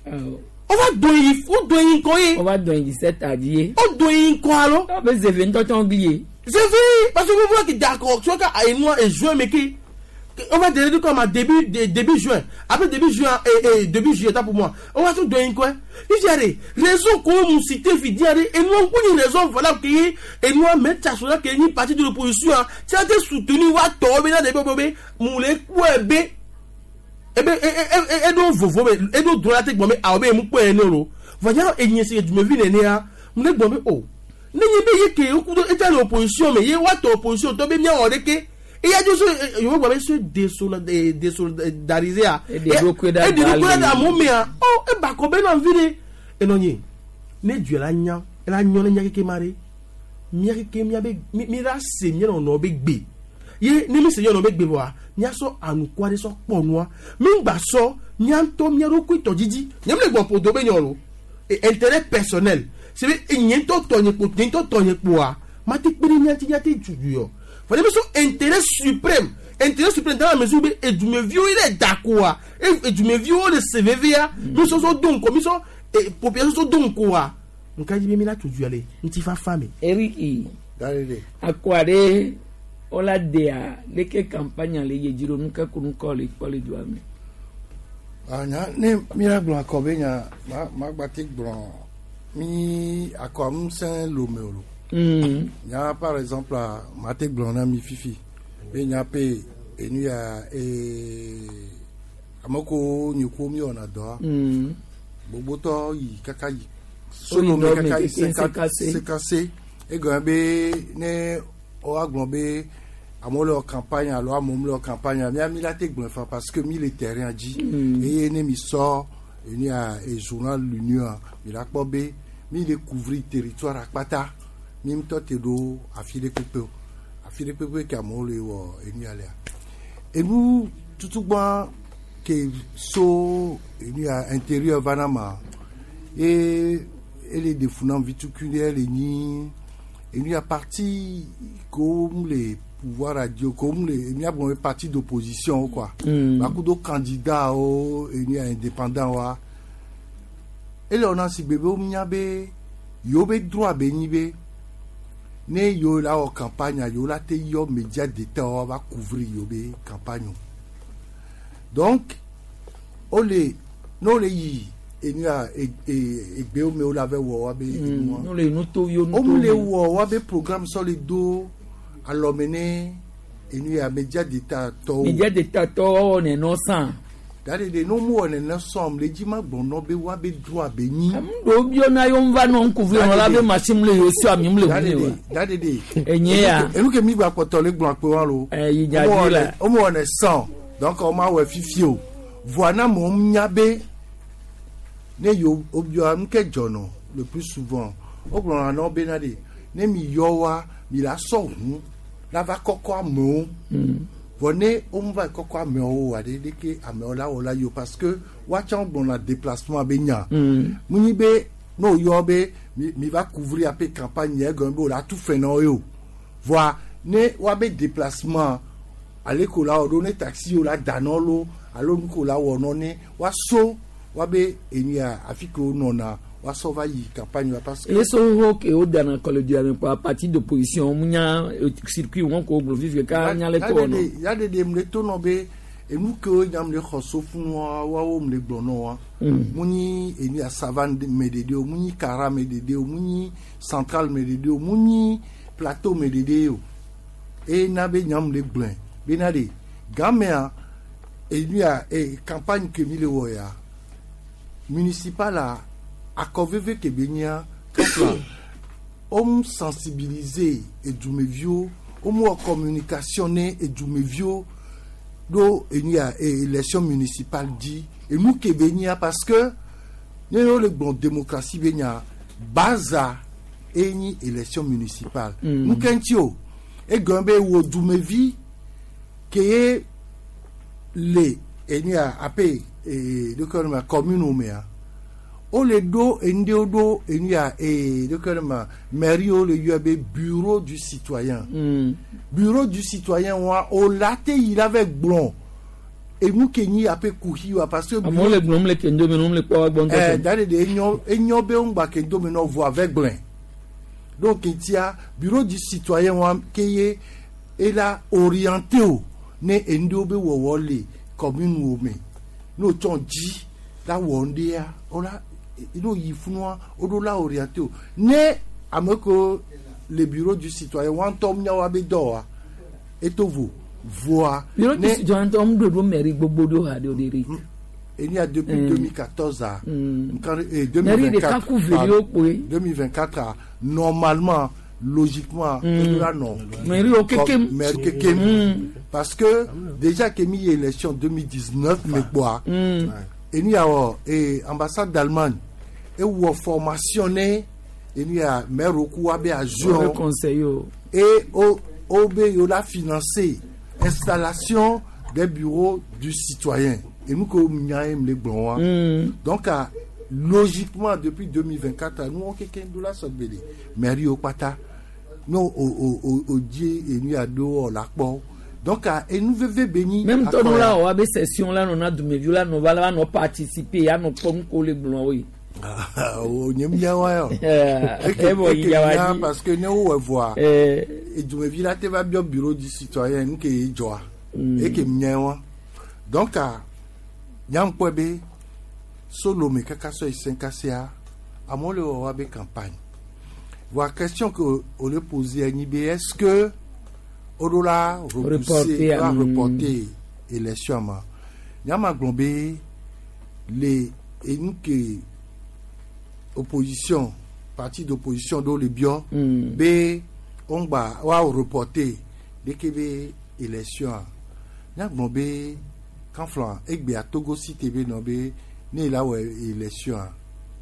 Speaker 19: o va dɔn yi o dɔn yi ŋkɔ ye
Speaker 1: o va dɔn yi 17 adi ye
Speaker 19: o dɔn yi ŋkɔ alo
Speaker 1: o be zeve ŋutɔ gli ye
Speaker 19: zeve parce que vous voyez d'accord tu vois ka enua e juin me ke on va donner comme à début début juin, après début juin et début juillet pour moi on va tout donner quoi il y a des raisons qu'on nous cite vi dire et nous on une raison valable que et nous mettre ça sur la que ni parti de l'opposition tu as été soutenu wa tomber dans des bébés moulé quoi b et ben et donc vovo et donc droit te gbome a obe mu pe ne lo voyant et ni c'est du me vi né a mu le gbome o ne ni be ye ke o kudo et l'opposition mais ye wa to opposition to be mi o de ke eya dzo so yovo gba be se désolidariser a eɖe ɖe amewo mea ɔ eba kɔ be na vi ɖe enɔ nye ne dua la nya la nyɔ ne nya keke ma ɖe mía keke mía be mi la se mía nɔnɔ be gbe ye ne mi se mía nɔnɔ be gbe vɔa mía sɔ anukua ɖe sɔ kpɔ nua mi ŋgba sɔ mía ŋutɔ mía ɖokui tɔ dzidzi nye mi le gbɔ ƒodo be nyɔ lo intérêt personnel c'est be nye ŋutɔ tɔ nye kpo nye ŋutɔ tɔ nye kpoa ma te kpe ɖe mía ŋuti mía te dudu yɔ. Fallait son intérêt suprême. Intérêt suprême dans la mesure où et du me vieux il est d'accord. Et du me vieux le CVVA, nous sommes donc comme ils sont et population sont donc quoi. On ka dit mais là tout du aller. Nti fa femme.
Speaker 1: Eric. Akware ola dea leke campagne le yejiro nuka kunu ko le ko le duame.
Speaker 16: Ah nya ne mira gblɔ akɔ be nya ma ma gba te gblɔ Mi akɔ ŋusẽ lome o lo. Nya par exemple mate gblɔ na mi fifi be nya pe enu ya ame ko nye ko mi wɔna dɔa. Gbogbotɔ yi kaka yi. Solome kaka yi 54 egɔme be ne woagblɔ be amewo le wɔ campagne alo amewo mele wɔ campagne mía mi la te gblɔe fa parce que mi le terrain dzi. Eye ne mi sɔ enu ya e journal l'union mi la kpɔ be mi le couvrir territoire akpata mi ŋutɔ te ɖo afi ɖe kpekpe o afi ɖe kpekpe ke amewo le wɔ enu ya lea enu tutugbã ke so enu ya intérieur va na ma ye ele ɖe fu nam vitukui ɖe le nyi enu ya parti ko mu le pouvoir radio ko mu le enu ya gblɔ be parti d'opposition quoi. Bakudo candidat wo enu ya indépendant wa ele wɔna si gbe be wo nya be yewo be droit be nyi be ne yewo la wɔ campagne yewo la te yɔ média d'état wa va couvrir yewo be campagne o donc wole ne wole yi enu ya egbewo me wo la va wɔ wa be enua
Speaker 1: No le nutoviwo
Speaker 16: wo mu le wɔ wa be programme sɔ le do alɔme ne enu ya média d'état tɔwo.
Speaker 1: Média d'état tɔwo wɔ nɛnɔ sã.
Speaker 16: Dade de no mu wɔ nɛnɛ sɔm le dzi ma gbɔnɔ be wa be droit be nyi.
Speaker 1: Ɖewo biɔ na yewo va nɔ ŋkuvi nɔ la be machine le yewo si ami le ŋu ne wa.
Speaker 16: Dade de.
Speaker 1: Enye ya.
Speaker 16: Enu ke mi gba kpɔtɔ le gblɔ akpe wa lo.
Speaker 1: Yi dza dzi la.
Speaker 16: Wo mu wɔ nɛ sɔn donc wo ma wɔ fifi o voa na amewo nya be ne yewo wobiɔ nu ke dzɔnɔ le plus souvent wogblɔna na wo bena de ne mi yɔ wa mi la sɔ ʋu la va kɔkɔ amewo vɔ ne wo mu va kɔkɔ amewo wa de ɖeke amewo la wɔ la yi o parce que woatsã gblɔna déplacement be nya mu nyi be ne wo yɔ be mi va couvrir ape campagne yɛ gɔme be wo la tu fɛ na wo ye o voa ne woabe déplacement ale ko la wɔ ɖo ne taxi wo la da nɔ lo alo nu ko la wɔ nɔ ne woaso woabe enu ya afi ke wo nɔna woasɔ va yi campagne wa parce que.
Speaker 1: Eso ho ke wo dana kɔlɔdua me kpɔ parti d'opposition mu nya circuit wɔn ko gblɔ fifi ka nya le tɔ nɔ.
Speaker 16: Ya de de mu le to nɔ be enu kewo nya mu le xɔ so fún wa woawo mu le gblɔ nɔ wa. Mu nyi enu ya savane me ɖeɖe o mu nyi kara me ɖeɖe o mu nyi centrale me ɖeɖe o mu nyi plateau me ɖeɖe o eye na be nya mu le gblɔe bena de gamea enu ya campagne ke mi le wɔ ya municipal a akɔ veve ke be nyia kɔfla wo sensibiliser edumeviwo wo mu wɔ communication ne edumeviwo ɖo enu ya élection municipale dzi enu ke be nyia parce que ne wo le gblɔ démocratie be nya baza eye nyi élection municipale. Nu ke ŋuti o egɔme be wo dumevi ke ye le enu ya ape ɖeke ma commune mea wole ɖo enu ɖewo ɖo enu ya ɖeke ma mairie wo le yɔe be bureau du citoyen. Bureau du citoyen wa o la te yi la vɛ gblɔ enu ke nyi ape kuxi wa parce que.
Speaker 1: Amewo le gblɔm le kendo me ne le kpɔ wa gbɔ ŋutɔ.
Speaker 16: Da de de enyɔ be ŋgba kendo me nɔ voa vɛ gblɔe donc tia bureau du citoyen wa ke ye ela orienté o ne enu ɖewo be wɔwɔ le commune wo me n'o tsɔ dzi la wɔ ŋɖea o la n'o yi funua o ɖo la orienté o ne ame ko le bureau du citoyen wa ŋutɔ miawo be dɔ wa eto vo voa.
Speaker 1: Bureau du citoyen ŋutɔ ŋu ɖoɖo mairie gbogbo ɖo ha ɖe o de ri.
Speaker 16: Eni ya depuis 2014 a.
Speaker 1: Mairie ɖeka ku veli kpoe.
Speaker 16: 2024 a normalement logiquement mm. Non.
Speaker 1: Mairie au kekem.
Speaker 16: Mairie kekem. Parce que déjà que mi élection 2019 mais quoi. Et ni a et ambassade d'Allemagne et ou formationné et ni a maire au coup a
Speaker 1: joué conseil
Speaker 16: et au OB yo la financé installation des bureaux du citoyen et nous que nya les blancs. Donc logiquement depuis 2024 nous on quelqu'un de la sorte mairie au pata non au die et nous a do la kpɔ donc et nous veve béni.
Speaker 1: Même tɔ nu la o abe session la nɔna dumeviwo la nɔ va la nɔ participer ya nɔ kpɔ nuko le gblɔ wo ye.
Speaker 16: O nye mia wa yɔ.
Speaker 1: E bɔ yi ya wa
Speaker 16: dzi. Parce que ne wo wɔ voa edumevi la te va biɔ bureau du citoyen nu ke ye dzɔa eke mia wa donc nyam kpɔ be solome kaka sɔ yi sɛnkasea Amewo le wɔ woabe campagne. Voa question que wole poser enyi be est-ce que woɖo la repousser,
Speaker 1: Reporter,
Speaker 16: la reporter élection ma? Nyama gblɔ be le enu ke opposition, parti d'opposition ɖewo le biɔ be woŋgba woa reporter ɖeke be élection a, nyagblɔ be kanflã egbea Togo cité be nɔ be ne la wɔ élection a,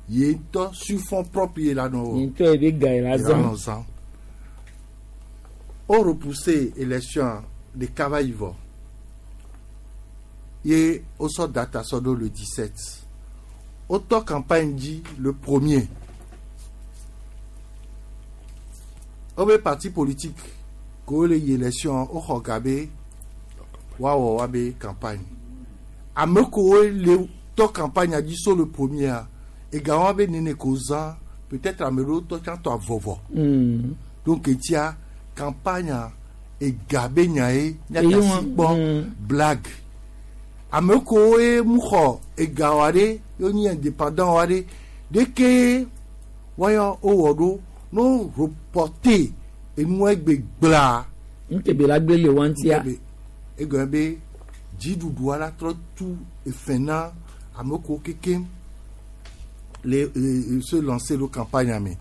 Speaker 16: ye ŋutɔ sur fonds propre ye la nɔ wɔ.
Speaker 1: Ye ŋutɔ ye be ga ye la
Speaker 16: Ye
Speaker 1: zã.
Speaker 16: nɔ zã. O repousser élection ɖeka va yi vɔ ye wosɔ data sɔ ɖo le 17, wotɔ campagne dzi le premier. Wobe parti politique ko le yi élection, woxɔ ga be woawɔ woabe campagne. Ame kowo le tɔ campagne dzi so le premier, ega wɔn be nene ko zã, peut-être ame ɖewo tɔ tsã tɔ avɔvɔ. Donc etia campagne ega be nya ye
Speaker 1: Eye
Speaker 16: míatasi kpɔ blague. Ame kowo ye mu xɔ ega wa ɖe, ye nyi indépendant wa ɖe, ɖeke wɔyɔ wowɔ ɖo no reporter enua egbe gblaa.
Speaker 1: Ŋkebe la gbe le wa ŋutia.
Speaker 16: Egɔme be dziɖuɖua la trɔ tu efe na ame kowo kekem le se lancer le campagne me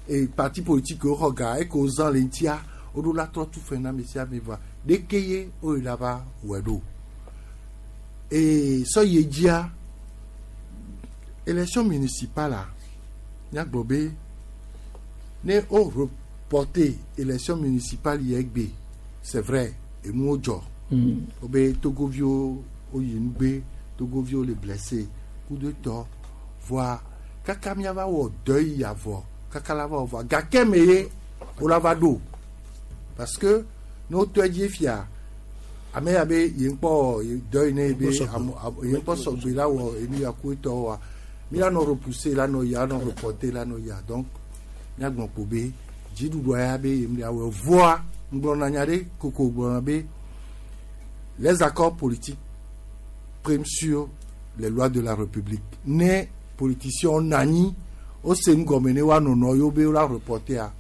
Speaker 16: et parti politique wo xɔ ga eke wozã le ŋutia, woɖo la trɔ tu fe na ame sia ame vɔa ɖeke ye woyi la va wɔe ɖo. Et sɔ yi dzia, élection municipale a, míagblɔ be ne wo reporter élection municipale yi egbe, c'est vrai, enuwo dzɔ. Wobe Togoviwo woyi nugbe, Togoviwo le blessé kudo tɔ voa kaka míava wɔ dɔ yi avɔ kaka la va wɔ vɔa gake me ye wola va ɖo, parce que ne wotɔe dzi fia ame ya be ye ŋkpɔ ye dɔ yi ne ye be ye ŋkpɔ sɔgbe la wɔ enu ya ku etɔ wa mi la nɔ repousser la nɔ ya nɔ reporter la nɔ ya. Donc míagblɔ kpo be dziɖuɖua ya be ye mi la wɔ voa ŋgblɔna nya ɖe koko gblɔna be les accords politiques priment sur les lois de la République. Ne politiciens nani wose nu gɔme ne woanɔ nɔ yewo be wola reporter a,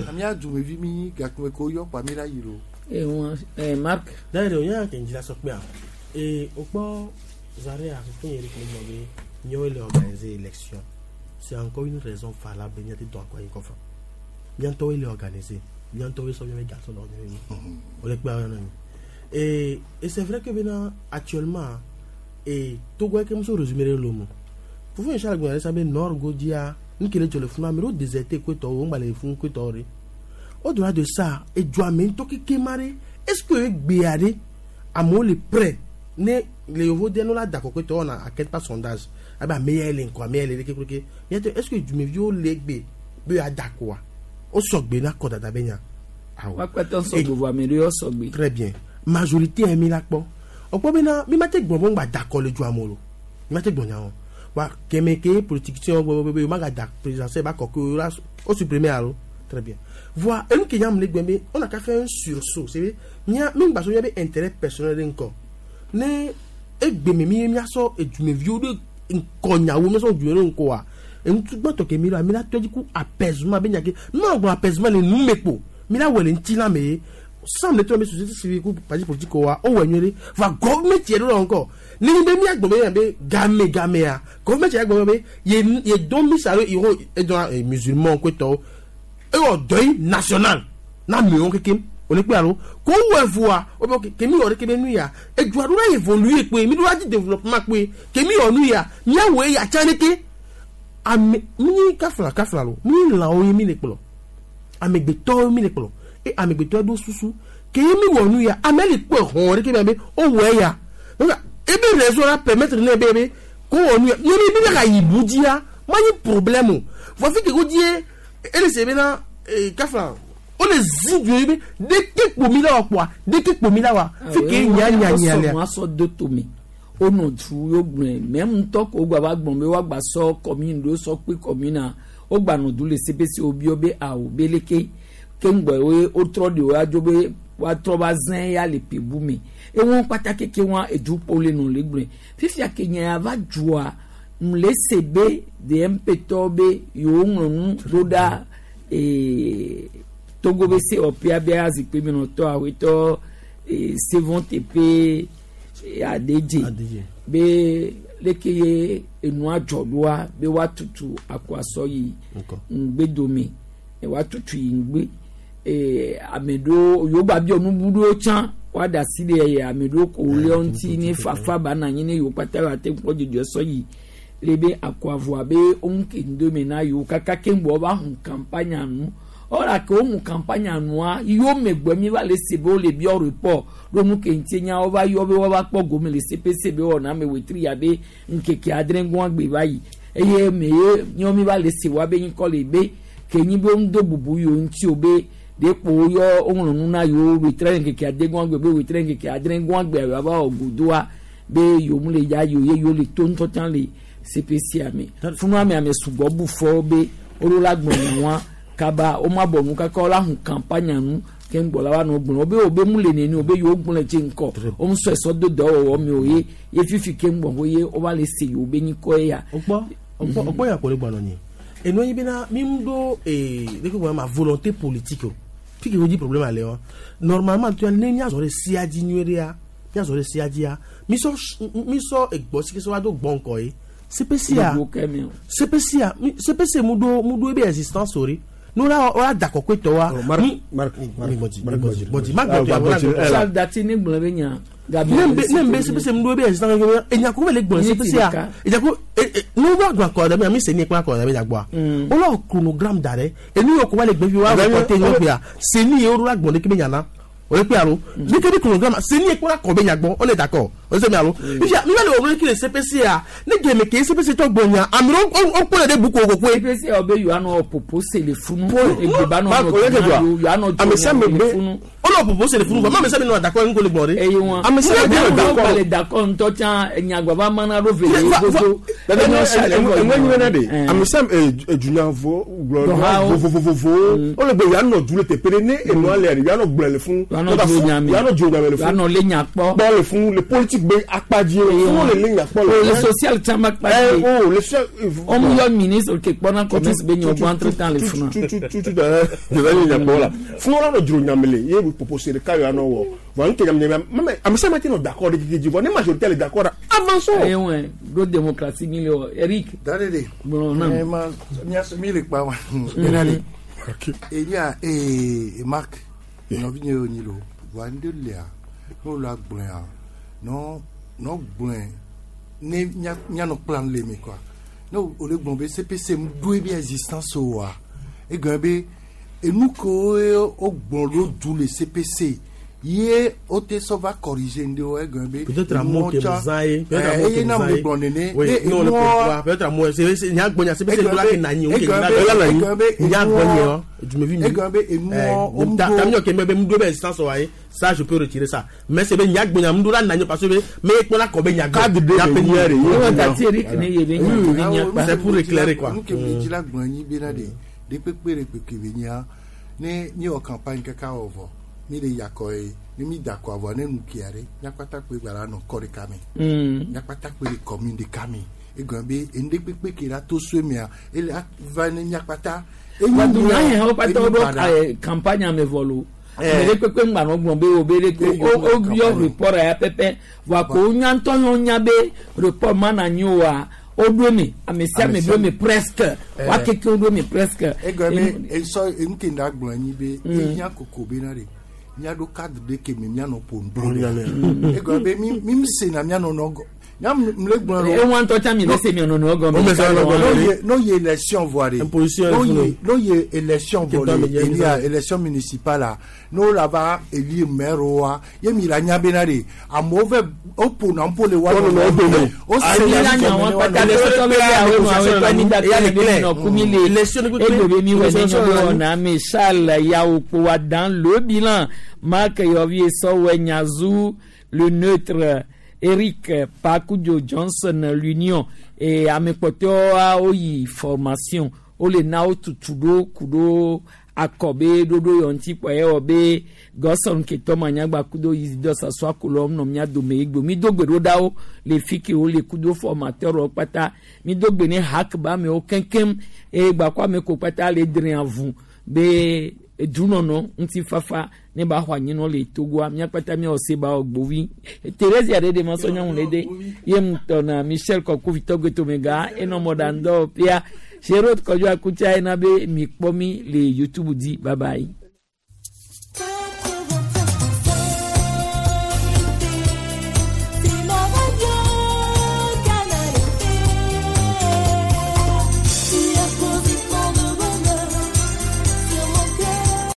Speaker 16: amia dumevi mi gake ko yɔ kpa mi la yi lo.
Speaker 1: Ewa Marc.
Speaker 19: D'ailleurs, o y'a kɛ njila sɔ kpe a ee o kpɔ Zare a fɛn yɛrɛ tun bɛ be miawo le organiser élection, c'est encore une raison valable miate dɔn akɔ yi kɔfɛ miatɔwo le organiser, miatɔwo sɔ miabe gasɔ lɔ miabe o le kpe a yɔrɔ mi. Et c'est vrai que maintenant actuellement et Togo ke muso résumé le lomo fufun yi sala gbɔn yɛrɛ nord godia nkele jɔ le funu ame ɖewo déserté koetɔwo ŋgba le funu koetɔwo ɖe. Au-delà de ça, edua me ŋutɔ keke ma ɖe, est-ce que egbea ɖe amewo le prêt ne le yevo de no la da kɔkɔetɔ wɔna enquête par sondage abe ame ya le ŋkɔ ame ya le ɖeke keke miate, est-ce que dumeviwo le egbe be yewoada koa wo sɔgbe na kɔdada be nya awɔ.
Speaker 1: Wakpɛtɔ sɔgbe vɔ ame ɖewo sɔgbe.
Speaker 19: Très bien, majorité yɛ mi la kpɔ ɔkpɔ bena mi ma te gbɔn bɔ ŋgba da kɔ le dua me o mi ma te gbɔn nya o wa kɛmɛ ke politicien gbɔ be o ma ka da présidentielle ba kɔ ke o la o supprimer alo. Très bien, voa enu ke nyam le gbɛ be on a qu'à faire un sursaut, c'est vrai mia mi ŋgba so mia be intérêt personnel ɖe ŋkɔ ne egbe me mi miasɔ edumeviwo ɖe ŋkɔnyawo miasɔ edumeviwo ɖe ŋkɔa enutu gbãtɔ ke mi la mi la tɔ dzi ku apaisement be nya ke mi ma gblɔ apaisement le nu me kpo mi la wɔ le ŋuti la me ye sam le tɔ be société civile ku parti politique wa o wɔ nyuie ɖe va gɔvɛmɛnti yɛ ɖo la ŋkɔ ne be mi agbɔ be yan be game gamea gɔvɛmɛnti yɛ gbɔ be ye ye dɔn mi sa iro edɔn musulman kpetɔwo ewɔ deuil national na miwo kekem o le kpe alo ko wɔ evua o bɛ kemi wɔ ɖeke be nu ya edua ɖo la évoluer kpe mi ɖo la di développement kpe kemi wɔ nu ya miawɔ eya tsa ɖeke ame mi kafla kafla lo mi lãwo ye mi le kplɔ amegbetɔwo mi le kplɔ e amegbetɔ ɖo susu ke ye mi wɔ nu ya ame le kpɔ hɔn ɖeke be o wɔ eya donc ebe raison la permettre ne be be ko wɔ nu ya nye mi bi ka yi bu dzia ma nyi problème o voici ke ko die ele se bena kafla o le zi du ye be deke kpomi la wa kpoa deke kpomi la wa fi ke nya nya nya lea.
Speaker 1: Wa sɔ do tome wonɔ du yio gblɔe mɛ ŋutɔ ko wogba va gblɔ be woagba sɔ commune ɖo sɔ kpe commune a wogba nɔ du le CPC wobiɔ be awo be leke ke ŋgbɔ ye wotrɔ ɖe wo adzo be woatrɔ va zẽ ya le pebu me ewɔn kpata keke wɔn edukpo le nɔ le gblɔe fifia ke nya ya va dzua Mle se be DMP tɔwo be yewo ŋlɔ nu ɖo ɖa ee Togo be sewɔƒea be azikpuimenɔtɔ awetɔ ee Sevon teƒe Adedze be leke ye enua dzɔ ɖoa be woatutu akɔasɔ yi ŋgbedome woatutu yi ŋgbe ee ame ɖewo yewo gba biɔ nubu ɖewo tsã woaɖe asi ɖe ame ɖewo ko le ŋuti ne fafa ba na anyi ne yewo kpata yewoate kpɔ dzidzɔ sɔ yi le be akɔavɔa be woŋke ŋdome na yewo kaka keŋ gbɔ va hu campagne nu ɔla ke wohu campagne nua yewo megbe mi va le se be wole biɔ report ɖo nu ke ŋuti nya wova yɔ be woava kpɔ gome le CPC be wɔna ame wetri ya be ŋkeke adre gɔa gbe va yi eye me ye nyɔ mi va le se wa be ŋkɔ le be ke nyi be woŋdo bubu yewo ŋuti o be ɖe kpo woyɔ woŋlɔ nu na yewo wetri ŋkeke ade gɔa gbe be wetri ŋkeke adre gɔa gbe yewoava wɔ godoa be yewo mu le ya yewo ye yewo le to ŋutɔ tsã le CPC me funu ame ame sugbɔ bu fɔ be woɖo la gblɔ nyawa kaba womabɔ nu kaka wola hu campagne nu ke ŋgbɔ la wa nɔ gblɔ be wo be mu le neni o be yewo gblɔ dze ŋkɔ wo ŋusɔ esɔ do dɔwɔwɔ me o ye ye fifi ke ŋgbɔ ho ye wova le se yewo be nyikɔ ya.
Speaker 19: Okpɔ okpɔ ya ko le gbɔ nɔ nyi enu yi bena mi ŋu ɖo ee ɖeke gblɔ ma volonté politique o fi ke wo dzi problème ale wa normalement tu ne miazɔ ɖe sia dzi nyuie ɖea miazɔ ɖe sia dzia misɔ misɔ egbɔ si ke sɔ va do gbɔ ŋkɔ ye CPC a CPC a CPC mu ɖo mu ɖo ebe existence o ɖe nu la wa da kɔkɔe tɔ wa.
Speaker 2: Marc
Speaker 19: Marc Marc Marc
Speaker 1: Charles Dati ne gblɔ be nya.
Speaker 19: Ne nbe CPC mu ɖo ebe existence o enya ko le gbɔ CPC a enya ko nu va gbɔ akɔ ɖe mi se ni kple akɔ ɖe mi dagboa wole chronogramme da ɖe enu yɔ ko va le gbe fi wa reporter nyɔ ƒea seni ye wo ɖo la gbɔ ɖe ke be nyana o le kpe alo ne ke bi chronogramme seni ye kpɔ la kɔ be nyagbɔ o le d'accord o se mi alo fifia mi va le wɔm ke le CPC a ne gɛmɛ ke CPC tɔ gbɔ nya ame ɖewo wo kpɔ le ɖe buku wo kokoe.
Speaker 1: CPC yɔ be yewoanɔ popo se le funu egbeba nɔ nɔ yewoanɔ
Speaker 2: ame sia ame be
Speaker 19: o lɔ popo se le funu vɔ ma ame sia ame nɔ d'accord ŋko le gbɔ de.
Speaker 1: Eye wọn
Speaker 2: ame sia ame nɔ
Speaker 1: d'accord le d'accord ŋutɔ tsã enyagbaba mana ɖo vele godo.
Speaker 2: Enwe nyuie na de ame sia ame edunyavɔ gblɔ vovovovowo o le gbe yeanɔ du le teƒe ɖe ne enua le yeanɔ gblɔ le funu yeanɔ dzo nyame le funu
Speaker 1: yeanɔ le nya kpɔ
Speaker 2: kpɔ le funu le politique be akpa dzi le funu le le nya kpɔ
Speaker 1: le le social tsã ma kpa dzi
Speaker 2: o le social
Speaker 1: wɔn yɔ ministre ke kpɔna commerce be nyɔ gbɔ entre temps le funu.
Speaker 2: tutu da le nya kpɔ la funu la nɔ dzro nyame le ye propose ɖeka yeanɔ wɔ vɔ nu ke nyame nyame mame ame sia ame te nɔ d'accord ɖe dzi vɔ ne majorité le d'accord avançons.
Speaker 1: Eye wɔn ɖo démocratie mi le wɔ Eric.
Speaker 16: Dadede.
Speaker 1: Gblɔ na.
Speaker 16: Ɛ ma mi le kpa wa. Dadede. Eya ee Marc nɔvi nye wo nyi lo wa ŋɖe lia ne wo la gblɔa nɔ nɔ gblɔe ne mianɔ kpla le me quoi ne wo le gblɔ be CPC mu ɖo ebe existence oa egɔme be enu kewo wo gblɔ ɖo du le CPC ye wo te sɔ va corriger ŋɖewo egɔme be.
Speaker 19: Peut-être un mot que vous avez peut-être un mot
Speaker 16: que
Speaker 19: vous
Speaker 16: na
Speaker 19: avez
Speaker 16: me gblɔ nene.
Speaker 19: Oui, non le pouvoir peut-être un mot c'est nya gbɔ nya CPC la ke na nyi o ke na nyi nya gbɔ nyi o du me vi mi.
Speaker 16: Egɔme be enuɔ
Speaker 19: wo ŋdo. Tami ke me be ŋdo be existence wa ye ça je peux retirer ça mais c'est be nya gbɔ nya ŋdo la na nyi parce que me kpɔ la kɔ be nya gbɔ.
Speaker 2: Cadre de nya de
Speaker 1: ye. Dati Eric ne ye be nya be nya kpa.
Speaker 19: C'est pour éclairer quoi.
Speaker 16: Nu ke me dzi la gblɔ nyi bena de de kpekpe ɖe kpekpe be nyia ne míewɔ campagne kaka wɔ vɔ mi le yakɔ ye ne mi da kɔ avɔ ne nu kia ɖe míakpata kpe gba la nɔ kɔ ɖeka me míakpata kpe le commune ɖeka me egɔme be enu ɖe kpekpe ke la to so mea ele va ne míakpata.
Speaker 1: Dunya wo kpata wo ɖo campagne me vɔ lo ame ɖe kpekpe ŋgba nɔ gblɔ be wo be ɖe ko wo yɔ report ya pɛpɛ vɔa ko wonya ŋutɔ yɔ nya be report ma na nyi oa woɖo me ame sia ame ɖo me presque wa keke woɖo me presque.
Speaker 16: Egɔme esɔ enu ke ŋda gblɔ anyi be ehiã koko be na de miaɖo cadre ɖe ke me mianɔ ƒo nu ɖo egɔme be mi mi sena mianɔ nɔ gɔ nya m le gblɔ
Speaker 1: ɖo. Ewa ŋutɔ tsã mi le se mianɔ nɔ gɔme.
Speaker 16: N'o ye élection vɔ de n'o ye élection vɔ de elia élection municipale la n'o la va élire maire wa ye mi la nya bena de amewo vɛ o ƒona ƒo le wa nɔ o
Speaker 1: sena nya wa kpata le sɔsɔ be awo nɔ awo tɔ ni date le be nɔ kumi le egbe be mi wɔ ne nyɔ be wɔna ame Charles Yawo wa dans le bilan Marc Yovi Sɔwɛ Nyazu le neutre Eric Pakujo Johnson l'Union et ame kpɔtɔwo yi formation wole na wo tutu ɖo ku ɖo Akɔ be ɖoɖo yɔ ŋuti kpɔ ye wɔ be gɔsɔn ketɔ manyagba kudo Isidore Sasua kolɔ nɔ mía dome egbe mi do gbe ɖo ɖawo le fi ke wole kudo formateur wo kpata mi do gbe ne hak ba amewo keŋkeŋ eye gbakɔ ame ko kpata le dre avu be edunɔnɔ ŋutifafa ne ba xɔ anyinɔ le Togoa míakpata míawɔ se ba wɔ gbovi Thérésia ɖe ɖe ma sɔ nyɔnu ɖe de ye ŋutɔ na Michel Kɔkuvi Tɔgbetomega enɔ mɔɖaŋdɔ pia Gérard Kɔdjo Akutsa yina be mi kpɔ mi le YouTube di. Bye bye.